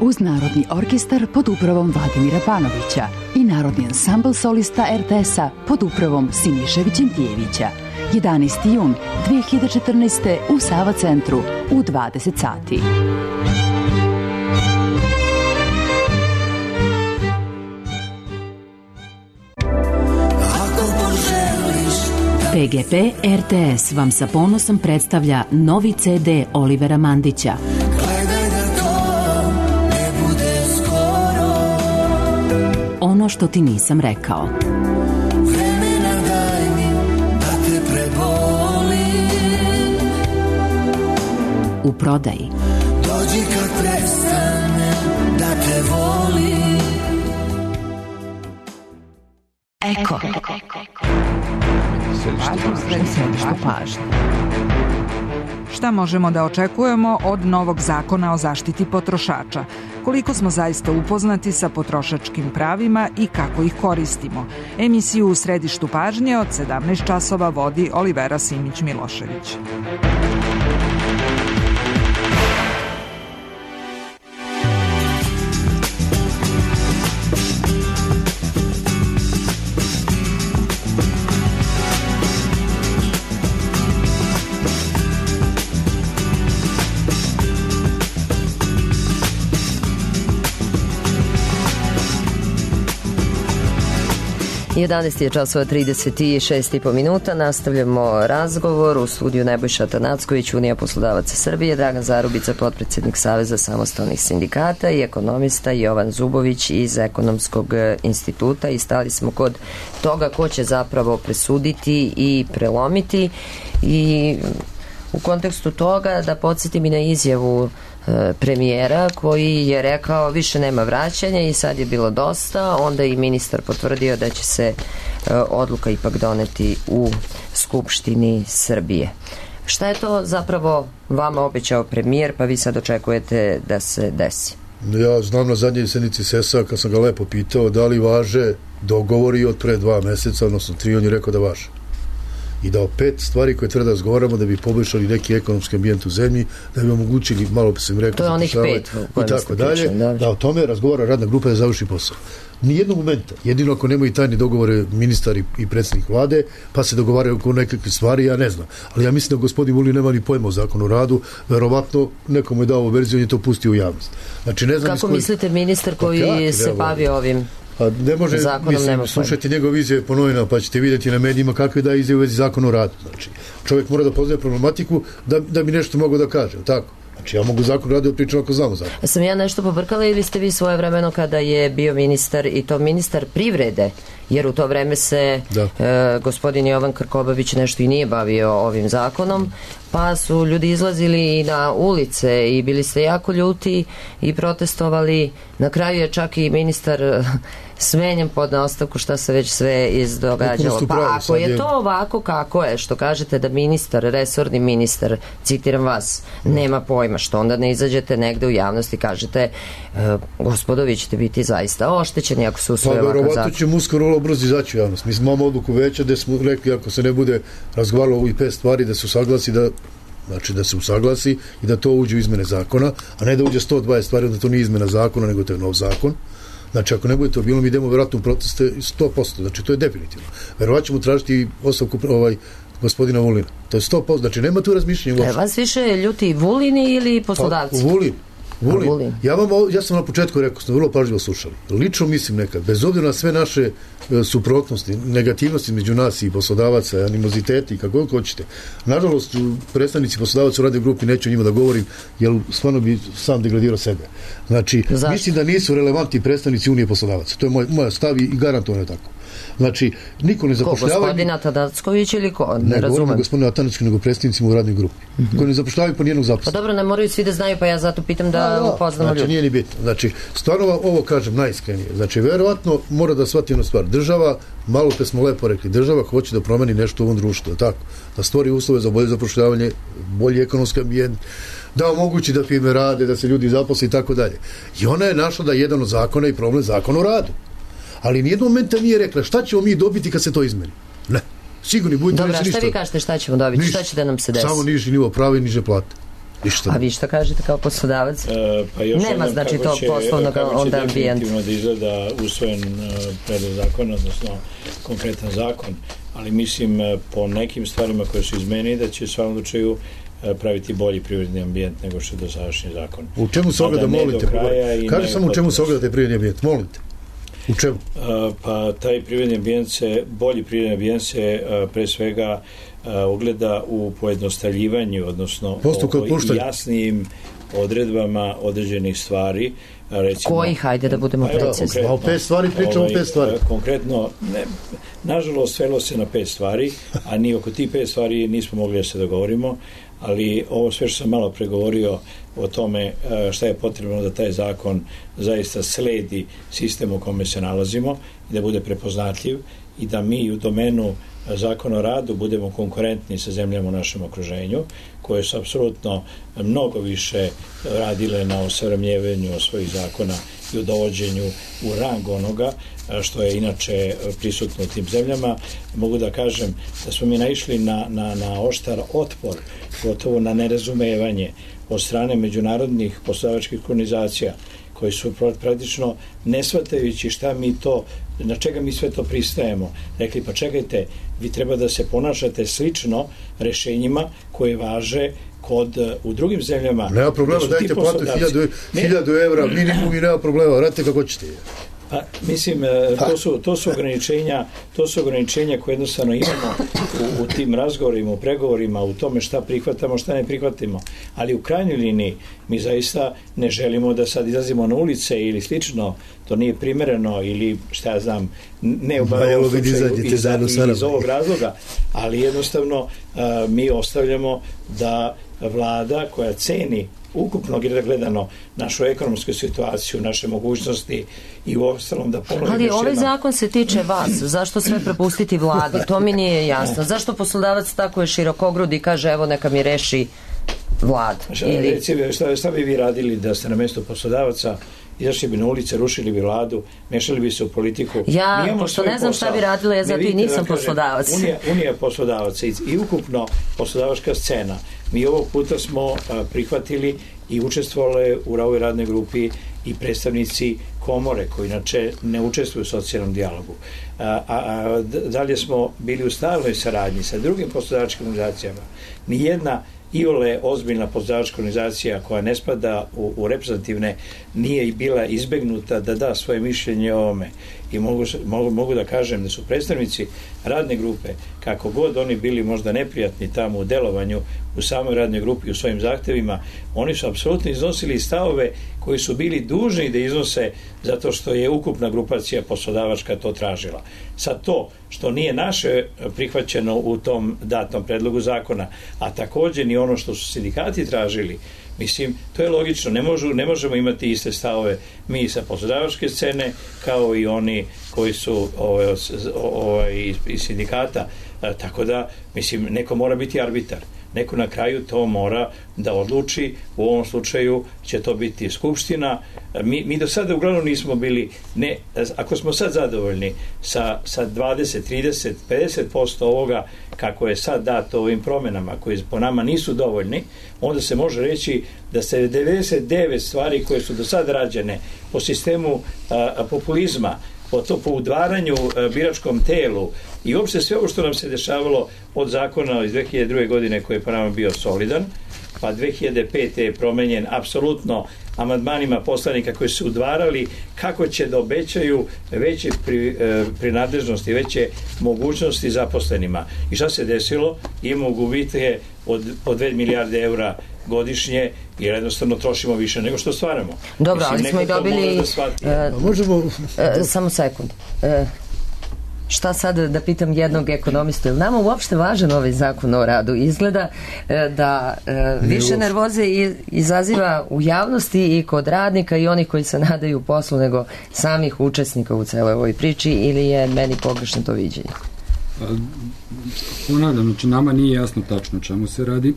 Uz Narodni orkestar pod upravom Vladimira Panovića i Narodni ansambl solista er te es-a pod upravom Siniše Vićentijevića. jedanaesti jun dve hiljade četrnaeste. u Sava centru u dvadeset sati. pe ge pe er te es vam sa ponosom predstavlja novi ce de Olivera Mandića. Ono što ti nisam rekao. Vremena daj mi da te prebolim. U prodaji. Dođi kad prestanem da te volim. Eko. Središte pažnje. Šta možemo da očekujemo od novog zakona o zaštiti potrošača? Koliko smo zaista upoznati sa potrošačkim pravima i kako ih koristimo? Emisiju u središtu pažnje od sedamnaest časova vodi Olivera Simić-Milošević. jedanaest je časova trideset šest i po minuta. Nastavljamo razgovor u studiju Nebojša Tanacković, Unija poslodavaca Srbije, Dragan Zarubica, potpredsjednik Saveza samostalnih sindikata i ekonomista Jovan Zubović iz Ekonomskog instituta i stali smo kod toga ko će zapravo presuditi i prelomiti i u kontekstu toga da podsjetim i na izjavu premijera koji je rekao više nema vraćanja i sad je bilo dosta, onda i ministar potvrdio da će se odluka ipak doneti u Skupštini Srbije. Šta je to zapravo vama obećao premijer, pa vi sad očekujete da se desi? Ja znam na zadnjoj sednici es e es-a kad sam ga lepo pitao da li važe dogovori od pre dva meseca, odnosno tri, on je rekao da važe. i dao pet stvari koje treba da razgovaramo da bi poboljšali neki ekonomski ambijent u zemlji, da bi omogućili, malo sam rekao, to je onih pet i tako dalje, da. da o tome razgovara radna grupa da završi posao. Nijednog momenta, jedino ako nemaju tajne dogovore ministar i, i predsjednik vlade, pa se dogovaraju oko nekakve stvari, ja ne znam. Ali ja mislim da gospodin Vulin nema ni pojma o zakonu o radu, verovatno nekomu je dao verziju, on je to pustio u javnost. Znači, ne znam kako koji... mislite ministar koji pa, se bavi ovim a ne može, zakonom, mislim, nema slušajte njegove izjave po novinama, pa ćete vidjeti na medijima kakve da izjave u vezi zakona o radu. Znači, čovjek mora da poznaje problematiku da, da bi nešto mogao da kaže, tako? Znači, ja mogu zakon radio pričam ako znamo zakon. Sam ja nešto pobrkala ili ste vi svoje vremeno kada je bio ministar i to ministar privrede, jer u to vreme se e, gospodin Jovan Krkobabić nešto i nije bavio ovim zakonom, pa su ljudi izlazili na ulice i bili ste jako ljuti i protestovali. Na kraju je čak i ministar smenjen pod naostavku, šta se već sve izdogađalo. Pa ako je to ovako kako je, što kažete da ministar, resorni ministar, citiram vas, nema pojma, što onda ne izađete negde u javnosti i kažete e, gospodo, vi ćete biti zaista oštećeni ako se usvoje ovakav zakon. Pa verovatno ćemo uskoro vrlo brzo izaći u javnost. Mi smo imamo odluku veća gde smo rekli ako se ne bude razgovaralo ovih pet stvari da se usaglasi da znači da se usaglasi i da to uđe u izmene zakona, a ne da uđe sto dvadeset stvari, da to nije izmena zakona, nego to je nov zakon. Znači, ako ne bude to bilo, mi idemo vjerojatno u proteste sto posto, znači to je definitivno. Verovatno ćemo tražiti ostavku ovaj, gospodina Vulina. To je sto posto, znači nema tu razmišljenja. E, vas više ljuti Vulini ili poslodavci? Pa, Vulin. Vulin. Vulin. Ja, vam, ja sam na početku rekao, smo vrlo pažljivo slušali. Lično mislim nekad, bez obzira na sve naše e, suprotnosti, negativnosti među nas i poslodavaca, animoziteti, kako god hoćete. Nažalost, predstavnici poslodavaca u radnoj grupi, neću o njima da govorim, jer stvarno bi sam degradirao sebe. Znači, zašto? Mislim da nisu relevantni predstavnici Unije poslodavaca. To je moj, moja stav i garantovano je tako. Znači, niko ne zapošljava... Ko, gospodin Atanacković ili ko? Ne, ne razumem. Ne gospodin Atanacković, nego predstavnicima u radnoj grupi. Mm-hmm. Koji ne zapošljavaju po nijednog zaposlenog. Pa dobro, ne moraju svi da znaju, pa ja zato pitam da, da upoznamo znači, ljudi. Nije ni bitno. Znači, stvarno ovo kažem najiskrenije. Znači, verovatno mora da shvati jednu stvar. Država, malo te smo lepo rekli, država hoće da promeni nešto u ovom društvu, tako? Da stvori uslove za bolje zapošljavanje, bolji ekonomski ambijent, da omogući da firme rade, da se ljudi zaposle i tako dalje. I ona je našla da je jedan od zakona i problem zakona o radu. Ali nijednog momenta nije rekla šta ćemo mi dobiti kad se to izmeni. Ne. Sigurni budite reći ništa. Dobra, šta vi kažete šta ćemo dobiti? Ništa. Šta će da nam se desi? Samo niži nivo prava i niže plate. Ništa. A vi šta kažete kao poslodavac? E, pa još nema znači to poslovnog onda ambijent. Kako će da izgleda usvojen uh, predlog zakona, odnosno konkretan zakon, ali mislim uh, po nekim stvarima koje su izmeni da će u svakom slučaju praviti bolji privredni ambijent nego što je dosadašnji zakon. U čemu se ogleda, molite? Kaži samo u čemu se ogleda taj privredni ambijent, molite. U čemu? Uh, pa taj privredni ambijent se, bolji privredni ambijent se uh, pre svega uh, ogleda u pojednostavljivanju, odnosno o jasnim odredbama određenih stvari. Recimo, koji, hajde da budemo pa, precizni. O pet stvari pričamo ovaj, pet stvari. Konkretno, ne, nažalost, svelo se na pet stvari, a ni oko tih pet stvari nismo mogli da se dogovorimo, ali ovo sve što sam malo pregovorio o tome šta je potrebno da taj zakon zaista sledi sistem u kome se nalazimo i da bude prepoznatljiv i da mi u domenu zakona o radu budemo konkurentni sa zemljama u našem okruženju, koje su apsolutno mnogo više radile na osavremenjivanju svojih zakona i u dovođenju u rang onoga što je inače prisutno u tim zemljama. Mogu da kažem da smo mi naišli na, na, na oštar otpor, gotovo na nerazumevanje od strane međunarodnih poslodavačkih organizacija koji su praktično ne shvatajući šta mi to, na čega mi sve to pristajemo, rekli pa čekajte, vi treba da se ponašate slično rešenjima koje važe kod, u drugim zemljama. Nema problema, dajte platu hiljadu evra minimum i nema problema, radite kako ćete. Pa, mislim, to su, to su ograničenja, to su ograničenja koje jednostavno imamo u, u tim razgovorima, u pregovorima, u tome šta prihvatamo, šta ne prihvatimo. Ali u krajnjoj liniji mi zaista ne želimo da sad izlazimo na ulice ili slično, to nije primereno ili šta ja znam, ne u ovom slučaju iz, iz ovog razloga, ali jednostavno a, mi ostavljamo da vlada koja ceni ukupno gledano našu ekonomsku situaciju, naše mogućnosti i u ostalom da ponovim. Ali ovaj zakon se tiče vas. Zašto sve prepustiti vladi? To mi nije jasno. Zašto poslodavac tako je širokogrud i kaže evo neka mi reši vlad? Šta, ili... šta, šta bi vi radili da ste na mjestu poslodavaca izašli bi na ulice, rušili bi vladu, mešali bi se u politiku. Ja, pošto ne znam šta bi radila, ja zato i nisam poslodavac. Unija, unija poslodavaca i, i ukupno poslodavačka scena. Mi ovog puta smo a, prihvatili i učestvovali u ovoj radnoj grupi i predstavnici komore koji inače ne učestvuju u socijalnom dijalogu. A, a, a dalje smo bili u stalnoj saradnji sa drugim poslodavačkim organizacijama. Nijedna iole ozbiljna poslodavačka organizacija koja ne spada u, u reprezentativne nije i bila izbegnuta da da svoje mišljenje o ovome. I mogu, mogu, mogu da kažem da su predstavnici radne grupe, kako god oni bili možda neprijatni tamo u delovanju u samoj radnoj grupi, u svojim zahtevima, oni su apsolutno iznosili stavove koji su bili dužni da iznose zato što je ukupna grupacija poslodavačka to tražila. Sad to što nije naše prihvaćeno u tom datom predlogu zakona, a također ni ono što su sindikati tražili, mislim, to je logično, ne, možu, ne možemo imati iste stavove mi sa poslodavačke scene kao i oni koji su ovaj, ovaj, iz sindikata, a, tako da, mislim, neko mora biti arbitar. Neko na kraju to mora da odluči, u ovom slučaju će to biti skupština. Mi, mi do sada uglavnom nismo bili, ne, ako smo sad zadovoljni sa, sa dvadeset, trideset, pedeset posto ovoga kako je sad dato ovim promenama koji po nama nisu dovoljni, onda se može reći da se devedeset devet stvari koje su do sada rađene po sistemu a, populizma, po to po udvaranju a, biračkom telu i uopšte sve ovo što nam se dešavalo od zakona iz dve hiljade druge. godine koji je po nama bio solidan, pa dve hiljade pete. je promenjen apsolutno amandmanima poslanika koji su udvarali kako će da obećaju veće pri, e, prinadležnosti, veće mogućnosti zaposlenima. I šta se desilo? Imamo gubitke od po dve milijarde eura godišnje jer jednostavno trošimo više nego što stvaramo. Dobro, ali smo i dobili... Da uh, možemo... Uh, samo sekund. Uh, šta sad da pitam jednog ekonomistu, je li nama uopšte važan ovaj zakon o radu? Izgleda da više nervoze izaziva u javnosti i kod radnika i onih koji se nadaju poslu nego samih učesnika u celoj ovoj priči, ili je meni pogrešno to viđenje? Ponavljam, znači nama nije jasno tačno čemu se radi.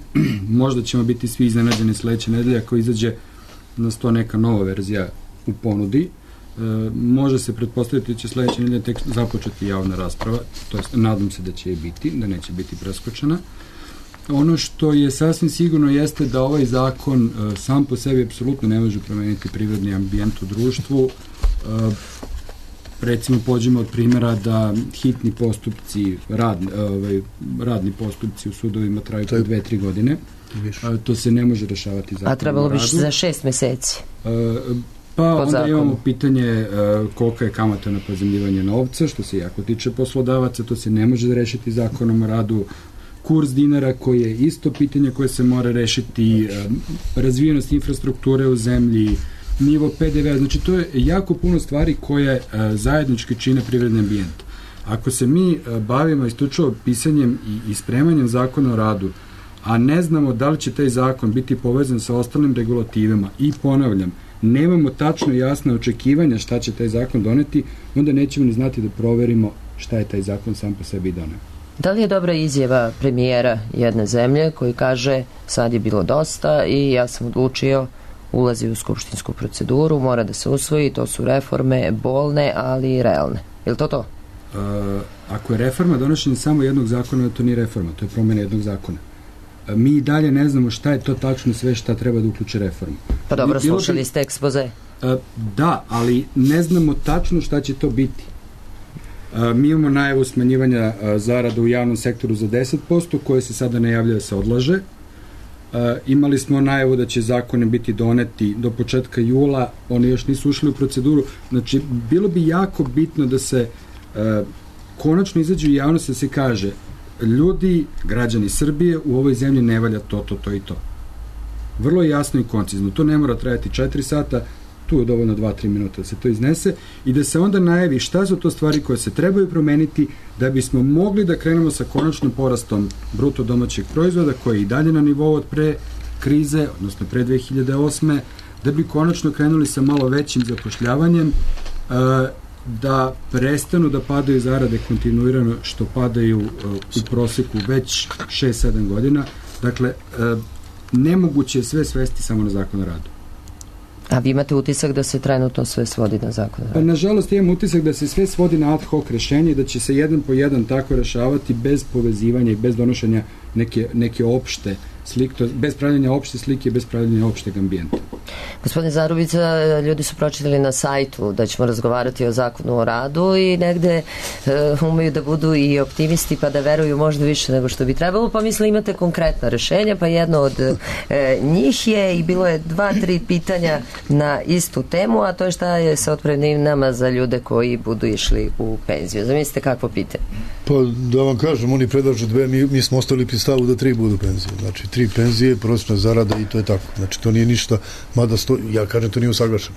Možda ćemo biti svi iznenađeni sledeće nedelje ako izađe na sto neka nova verzija u ponudi. E, može se pretpostaviti da će sledeće nedelje tek započeti javna rasprava, to jest nadam se da će i biti, da neće biti preskočena. Ono što je sasvim sigurno jeste da ovaj zakon e, sam po sebi apsolutno ne može promeniti privredni ambijent u društvu. E, recimo pođemo od primjera da hitni postupci, radni, ovaj, radni postupci u sudovima traju po dve, tri godine. A, to se ne može rešavati zakonom o radu. A trebalo bi za šest meseci. A, pa onda zakonu. Imamo pitanje a, kolika je kamata na pozemljivanje novca, što se jako tiče poslodavaca, to se ne može rešiti zakonom o radu. Kurs dinara koji je isto pitanje koje se mora rešiti, a, razvijenost infrastrukture u zemlji, nivo pe de ve, znači to je jako puno stvari koje a, zajednički čine privredni ambijent. Ako se mi a, bavimo isključivo pisanjem i, i spremanjem zakona o radu, a ne znamo da li će taj zakon biti povezan sa ostalim regulativama i ponavljam, nemamo tačno jasne očekivanja šta će taj zakon doneti, onda nećemo ni znati da proverimo šta je taj zakon sam po sebi doneo. Da li je dobra izjava premijera jedne zemlje koji kaže sad je bilo dosta i ja sam odlučio, ulazi u skupštinsku proceduru, mora da se usvoji, to su reforme bolne, ali realne. Je li to to? Uh, ako je reforma donošenje samo jednog zakona, to nije reforma, to je promjena jednog zakona. Uh, mi i dalje ne znamo šta je to tačno sve šta treba da uključe reformu. Pa dobro, Bilo slušali bi, ste ekspoze. Uh, da, ali ne znamo tačno šta će to biti. Uh, mi imamo najavu smanjivanja uh, zarada u javnom sektoru za deset posto, koje se sada najavlja da se odlaže. Uh, imali smo najavu da će zakone biti doneti do početka jula, oni još nisu ušli u proceduru. Znači, bilo bi jako bitno da se uh, konačno izađe u javnost da se kaže ljudi, građani Srbije, u ovoj zemlji ne valja to, to, to i to. Vrlo jasno i koncizno. To ne mora trajati četiri sata, tu je dovoljno dva do tri minuta da se to iznese i da se onda najavi šta su to stvari koje se trebaju promeniti da bismo mogli da krenemo sa konačnim porastom bruto domaćeg proizvoda koji je i dalje na nivou od pre krize, odnosno pre dve hiljade osme, da bi konačno krenuli sa malo većim zapošljavanjem, da prestanu da padaju zarade kontinuirano što padaju u proseku već šest sedam godina. Dakle, nemoguće je sve svesti samo na zakon o radu. A vi imate utisak da se trenutno sve svodi na zakon? Pa, nažalost, imam utisak da se sve svodi na ad hoc rešenje i da će se jedan po jedan tako rešavati bez povezivanja i bez donošenja neke, neke opšte slike, bez pravljanja opšte slike i bez pravljanja opšteg ambijenta. Gospodine Zarubica, ljudi su pročitali na sajtu da ćemo razgovarati o zakonu o radu i negde uh, umeju da budu i optimisti pa da veruju možda više nego što bi trebalo, pa misle imate konkretna rešenja, pa jedno od uh, njih je i bilo je dva, tri pitanja na istu temu, a to je šta je sa otpremninama za ljude koji budu išli u penziju. Zamislite kakvo pitanje? Pa da vam kažem, oni predlažu dve, mi, mi smo ostali pri stavu da tri budu penzije. Znači, tri penzije, prosječna zarada i to je tako. Znači, to nije ništa, mada sto, ja kažem, to nije usaglašeno.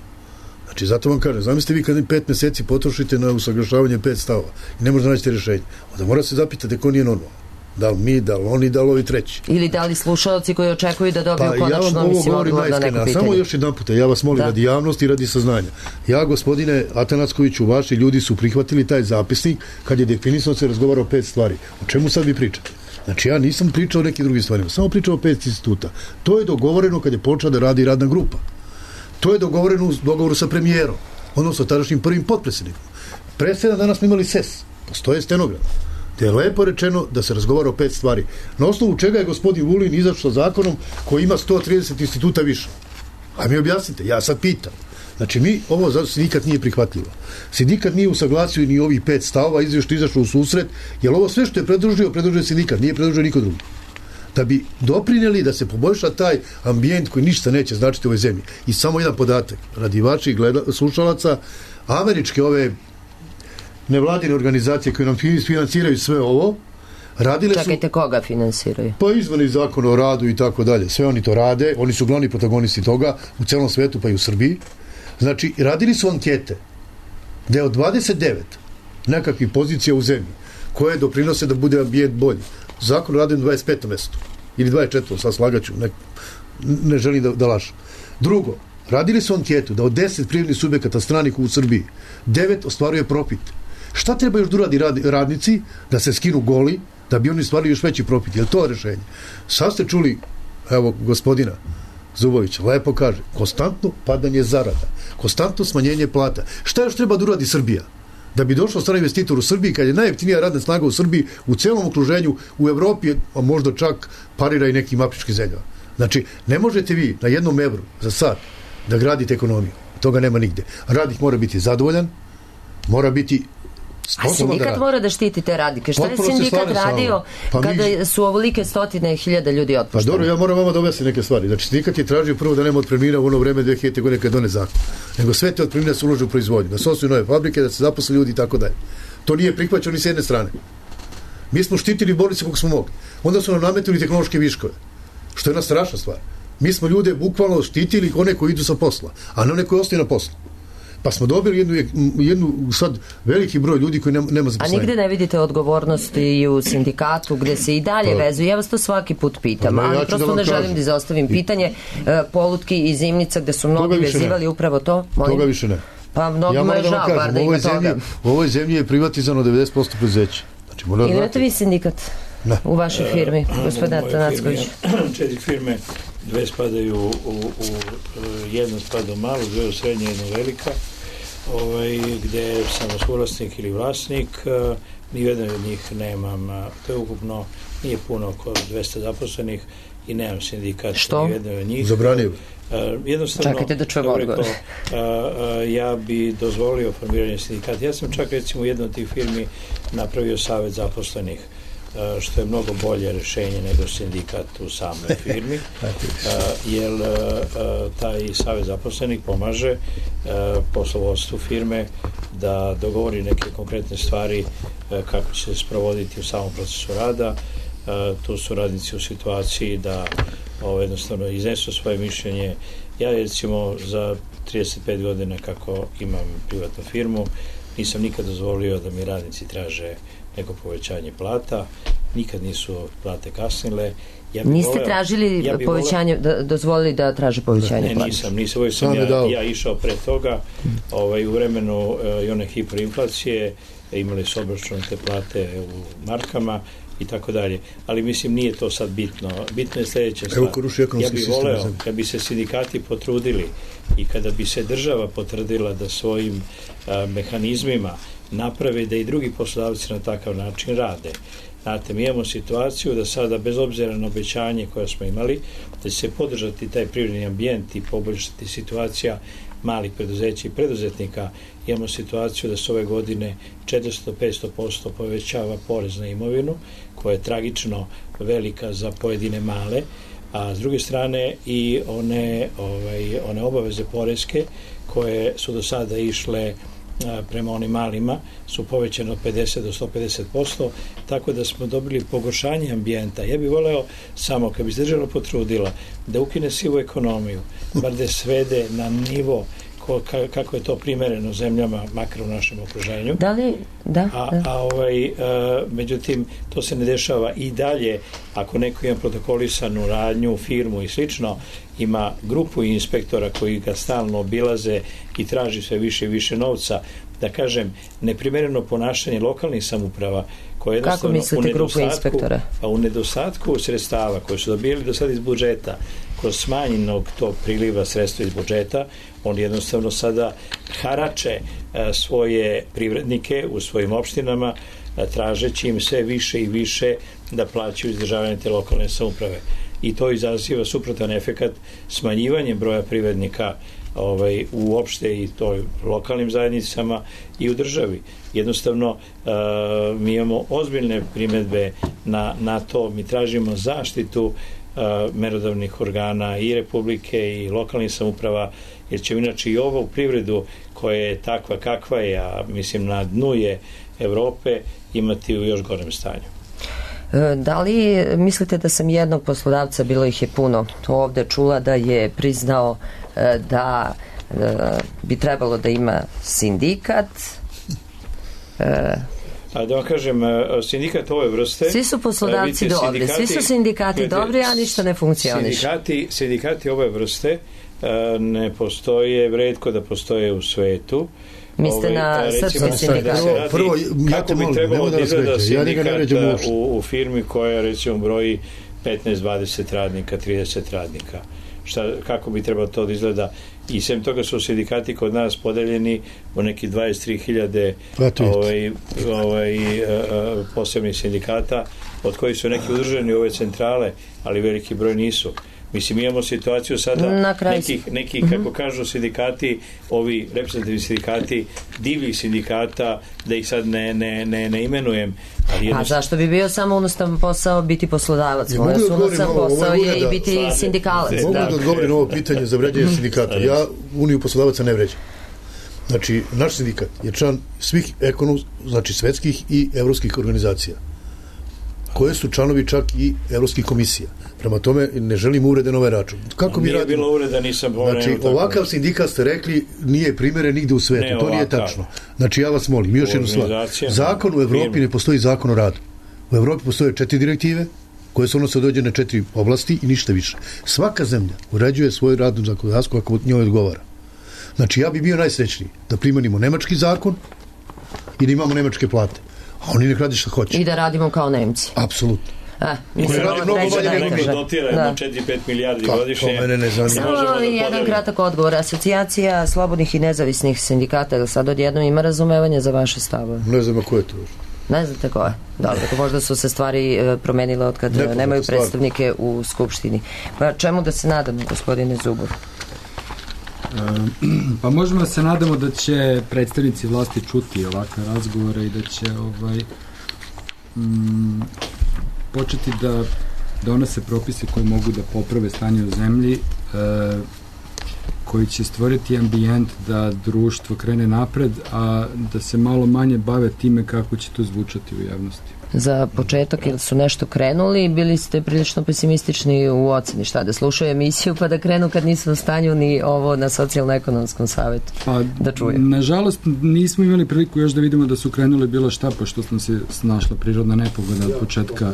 Znači, zato vam kažem, zamislite vi kad pet meseci potrošite na usaglašavanje pet stavova i ne možete naći rešenje, onda mora se zapitati ko nije normalno. Da li mi, da li oni, da li ovi treći. Ili da li slušalci koji očekuju da dobiju pa, konačno, ja mislim, odgovor na neko pitanje. Samo još jedan puta, ja vas molim da. radi javnosti i radi saznanja. Ja, gospodine Atanackoviću, vaši ljudi su prihvatili taj zapisnik kad je definisano se razgovara o pet stvari. O čemu sad vi pričate? Znači, ja nisam pričao o nekim drugim stvarima, samo pričao o pet instituta. To je dogovoreno kad je počela da radi radna grupa. To je dogovoreno u dogovoru sa premijerom, odnosno tadašnjim prvim potpredsjednikom. Pre sedam dana smo imali S E S, postoje stenogram, gde je lepo rečeno da se razgovara o pet stvari. Na osnovu čega je gospodin Vulin izašao zakonom koji ima sto trideset instituta više. A mi objasnite, ja sad pitam. Znači, mi, ovo zato sindikat nije prihvatljivo. Sindikat nije usaglasio ni ovih pet stavova, izvješće izašao u susret, jer ovo sve što je predružio, predružio sindikat, nije predružio niko drugi. Da bi doprinjeli da se poboljša taj ambijent koji ništa neće značiti u ovoj zemlji. I samo jedan podatak, radi vaših gleda, slušalaca, američke ove nevladine organizacije koje nam financiraju sve ovo, radile su... Čekajte, koga finansiraju? Pa izmeni zakona o radu i tako dalje. Sve oni to rade, oni su glavni protagonisti toga u celom svetu pa i u Srbiji. Znači, radili su ankete gde od dvadeset devet nekakvih pozicija u zemlji koje doprinose da bude ambijent bolji. Zakon o radu na dvadeset petom mestu ili dvadeset četvrtom, sad slagaću, ne, ne želim da, da lažem. Drugo, radili su anketu da od deset privrednih subjekata stranih u Srbiji devet ostvaruje profit. Šta treba još da uradi rad, radnici da se skinu goli, da bi oni stvarili još veći profit? Je li to rešenje? Sad ste čuli, evo, gospodina Zubovića, lepo kaže, konstantno padanje zarada, konstantno smanjenje plata. Šta još treba da uradi Srbija? Da bi došao strani investitor u Srbiji, kad je najjeftinija radna snaga u Srbiji, u celom okruženju, u Evropi, a možda čak parira i nekim afričkim zemljama. Znači, ne možete vi na jednom evru za sad da gradite ekonomiju. Toga nema nigde. Radnik mora biti zadovoljan, mora biti a sindikat da mora da štiti te radnike. Šta je sindikat radio pa kada mi... su ovolike stotine hiljada ljudi otpušteni? Pa dobro, ja moram vama da objasnim neke stvari. Znači, sindikat je tražio prvo da nema otpremnina u ono vreme dve hiljadite godine kada done zakon. Nego sve te otpremnine se ulože u proizvodnju, da se osnuju nove fabrike, da se zaposle ljudi i tako dalje. To nije prihvaćeno ni s jedne strane. Mi smo štitili bolnice koliko smo mogli. Onda su nam nametili tehnološke viškove, što je jedna strašna stvar. Mi smo ljude bukvalno štitili one koji idu sa posla, a ne one koji ostaju na poslu. Pa smo dobili jednu, jednu sad veliki broj ljudi koji nema, nema zaposlenja. A nigde ne vidite odgovornosti i u sindikatu gde se i dalje pa, vezuju? Ja vas to svaki put pitam, pa, ali ja prosto da ne želim da izostavim pitanje. E, Polutki i Zimnica gde su mnogi vezivali ne. upravo to. Molim? Toga više ne. Pa mnogima ja je žao, bar da ima toga. U ovoj zemlji je privatizano devedeset posto preduzeća. Znači, ili imate vi sindikat ne. u vašoj firmi, gospodin Atanacković? Četiri firme, dve spadaju u, u, u jedna spada u malu, dve u srednje, jedna velika, ovaj, gde sam suvlasnik ili vlasnik, ni jedan od njih nemam, to je ukupno, nije puno, oko dvesta zaposlenih i nemam sindikat. Što? Ni jedan od njih. Zabranio. Uh, jednostavno, čekajte da čujem odgovor. Uh, uh, ja bi dozvolio formiranje sindikata. Ja sam čak recimo u jednoj od tih firmi napravio savet zaposlenih, uh, što je mnogo bolje rešenje nego sindikat u samoj firmi, uh, jer uh, taj savet zaposlenih pomaže uh, poslovodstvu firme da dogovori neke konkretne stvari uh, kako će se sprovoditi u samom procesu rada. Uh, tu su radnici u situaciji da ovo, jednostavno iznesu svoje mišljenje. Ja recimo za trideset pet godina kako imam privatnu firmu nisam nikad dozvolio da mi radnici traže neko povećanje plata, nikad nisu plate kasnile. Ja Niste voleo, tražili ja povećanje, voleo, da, dozvolili da traže povećanje plata? Ne, nisam, nisam, uvijek sam ja, ja išao pre toga, ovaj, u vremenu uh, i one hiperinflacije imali su obračunate plate u markama i tako dalje. Ali mislim, nije to sad bitno. Bitno je sljedeća stvar. Ja bih voleo, kad bi se sindikati potrudili i kada bi se država potvrdila da svojim a, mehanizmima naprave da i drugi poslodavci na takav način rade. Znate, mi imamo situaciju da sada, bez obzira na obećanje koje smo imali, da će se podržati taj privredni ambijent i poboljšati situacija malih preduzeća i preduzetnika, imamo situaciju da se ove godine četiristo do petsto posto povećava porez na imovinu, koja je tragično velika za pojedine male, a s druge strane i one, ovaj, one obaveze poreske koje su do sada išle prema onim malima su povećane od pedeset do sto pedeset posto, tako da smo dobili pogoršanje ambijenta. Ja bih voleo samo, kad bi se država potrudila da ukine sivu ekonomiju, bar da svede na nivo ko, ka, kako je to primereno zemljama, makar u našem okruženju. Da li? Da. A, da. a ovaj, a, međutim, to se ne dešava i dalje. Ako neko ima protokolisanu radnju, firmu i slično, ima grupu inspektora koji ga stalno obilaze i traži sve više i više novca, da kažem, neprimereno ponašanje lokalnih samouprava koje kako mislite grupu inspektora? Pa u nedostatku sredstava koje su dobili do sada iz budžeta, kroz smanjenog tog priliva sredstva iz budžeta, oni jednostavno sada harače a, svoje privrednike u svojim opštinama, a, tražeći im sve više i više da plaćaju izdržavanje te lokalne samouprave. I to izaziva suprotan efekat smanjivanjem broja privrednika ovaj, uopšte i toj lokalnim zajednicama i u državi. Jednostavno, uh, mi imamo ozbiljne primedbe na, na to, mi tražimo zaštitu uh, merodavnih organa i republike i lokalnih samouprava, jer će inače i ovo u privredu koja je takva kakva je, a mislim na dnu je Evrope, imati u još gorem stanju. Da li mislite da sam jednog poslodavca, bilo ih je puno, ovde čula da je priznao da bi trebalo da ima sindikat? A da vam kažem, sindikat ove vrste... Svi su poslodavci dobri, svi su sindikati dobri, a ništa ne funkcioniše. Sindikati, sindikati ove vrste ne postoje, retko da postoje u svetu. Mislite na srpski sindikat? Prvo, kako bi trebalo da izgleda sindikat u, u firmi koja recimo broji petnaest dvadeset radnika, trideset radnika? Šta, kako bi trebalo to da izgleda? I sem toga su sindikati kod nas podeljeni u neki dvadeset tri hiljade ovaj, ovaj, posebnih sindikata, od kojih su neki udruženi u ove centrale, ali veliki broj nisu. Mislim, imamo situaciju sada nekih, nekih mm-hmm. kako kažu sindikati, ovi reprezentativni sindikati, divljih sindikata, da ih sad ne, ne, ne, ne imenujem. Ali jedno... A zašto bi bio samo unostavan posao biti poslodavac? Moj ja, unostavan posao je i biti Slade. Sindikalac. Mogu da, da odgovorim na ovo pitanje za vređanje sindikata. Ja Uniju poslodavaca ne vređam. Znači, naš sindikat je član svih ekonom, znači svetskih i evropskih organizacija, koje su članovi čak i evropskih komisija. Prema tome, ne želim uvrede na ovaj račun. Kako nije bi radimo? Bilo uvreda, nisam pomenuo. Znači, ovakav sindikat ste rekli nije primjeren nigde u svetu. Ne, to nije tačno. Znači, ja vas molim, još jednu stvar. Zakon u Evropi ne postoji zakon o radu. U Evropi postoje četiri direktive, koje se odnose dođe na četiri oblasti i ništa više. Svaka zemlja uređuje svoju radnu zakonodavstvo kako njoj odgovara. Znači, ja bi bio najsrećniji da primenimo nemački zakon i da imamo nemačke plate. A oni nek radi što hoće. I da radimo kao Nemci. Apsolutno. A, mislim, radi mnogo bolje nego mi. Dotiramo četiri do pet milijardi godišnje. Samo jedan kratak odgovor. Asocijacija slobodnih i nezavisnih sindikata sad odjednom ima razumevanje za vaše stavove? Ne znam ko je to. Ne znate ko je? Dobro, možda su se stvari promenile od kad Nepoznate nemaju predstavnike stvar. U Skupštini. Pa čemu da se nadamo, gospodine Zubov? Pa možemo da se nadamo da će predstavnici vlasti čuti ovakve razgovore i da će ovaj mm, početi da donose propise koji mogu da poprave stanje u zemlji, e, koji će stvoriti ambijent da društvo krene napred, a da se malo manje bave time kako će to zvučati u javnosti. Za početak, ili su nešto krenuli, bili ste prilično pesimistični u oceni, šta, da slušaju emisiju pa da krenu kad nisu u stanju ni ovo na socijalno-ekonomskom savjetu pa, da čuju? Nažalost, nismo imali priliku još da vidimo da su krenuli bilo šta, pošto smo se snašla prirodna nepogoda od početka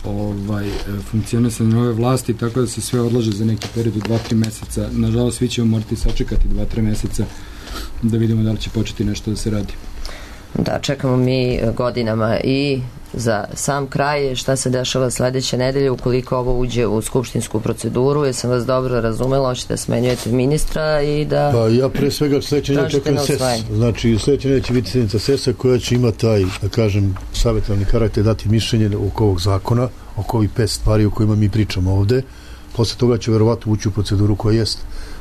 ovaj, funkcionisanja ove vlasti, tako da se sve odlaže za neki period u dva tri meseca. Nažalost, svi ćemo morati sačekati dva tri meseca da vidimo da li će početi nešto da se radi. Da, čekamo mi godinama i za sam kraj šta se dešava sledeće nedelje ukoliko ovo uđe u skupštinsku proceduru. Jesam vas dobro razumela, hoćete da smenjujete ministra i da... Pa ja pre svega sledeće nedelje čekam S E S. Znači sledeće nedelje će biti sjednica S E S-a koja će ima taj, da kažem, savjetovani karakter, dati mišljenje oko ovog zakona, oko ovih pet stvari o kojima mi pričamo ovde. Posle toga će verovatno ući u proceduru koja jest.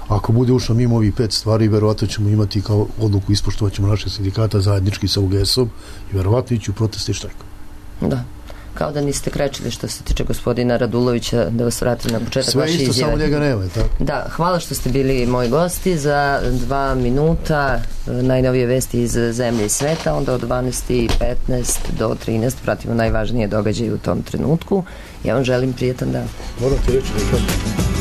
Ako bude ušlo mimo ovih pet stvari, verovatno ćemo imati kao odluku, ispoštovat ćemo naše sindikata zajednički sa U G S-om i verovatno ići u proteste i štrajk. Da, kao da niste krečili što se tiče gospodina Radulovića, da vas vratim na početak sve vaše isto, izjave. samo njega nema, tako? Da, hvala što ste bili moji gosti. Za dva minuta najnovije vesti iz zemlje i sveta, onda od dvanaest i petnaest do trinaest pratimo najvažnije događaje u tom trenutku. Ja vam želim prijetan dan. Moram ti reći nekako.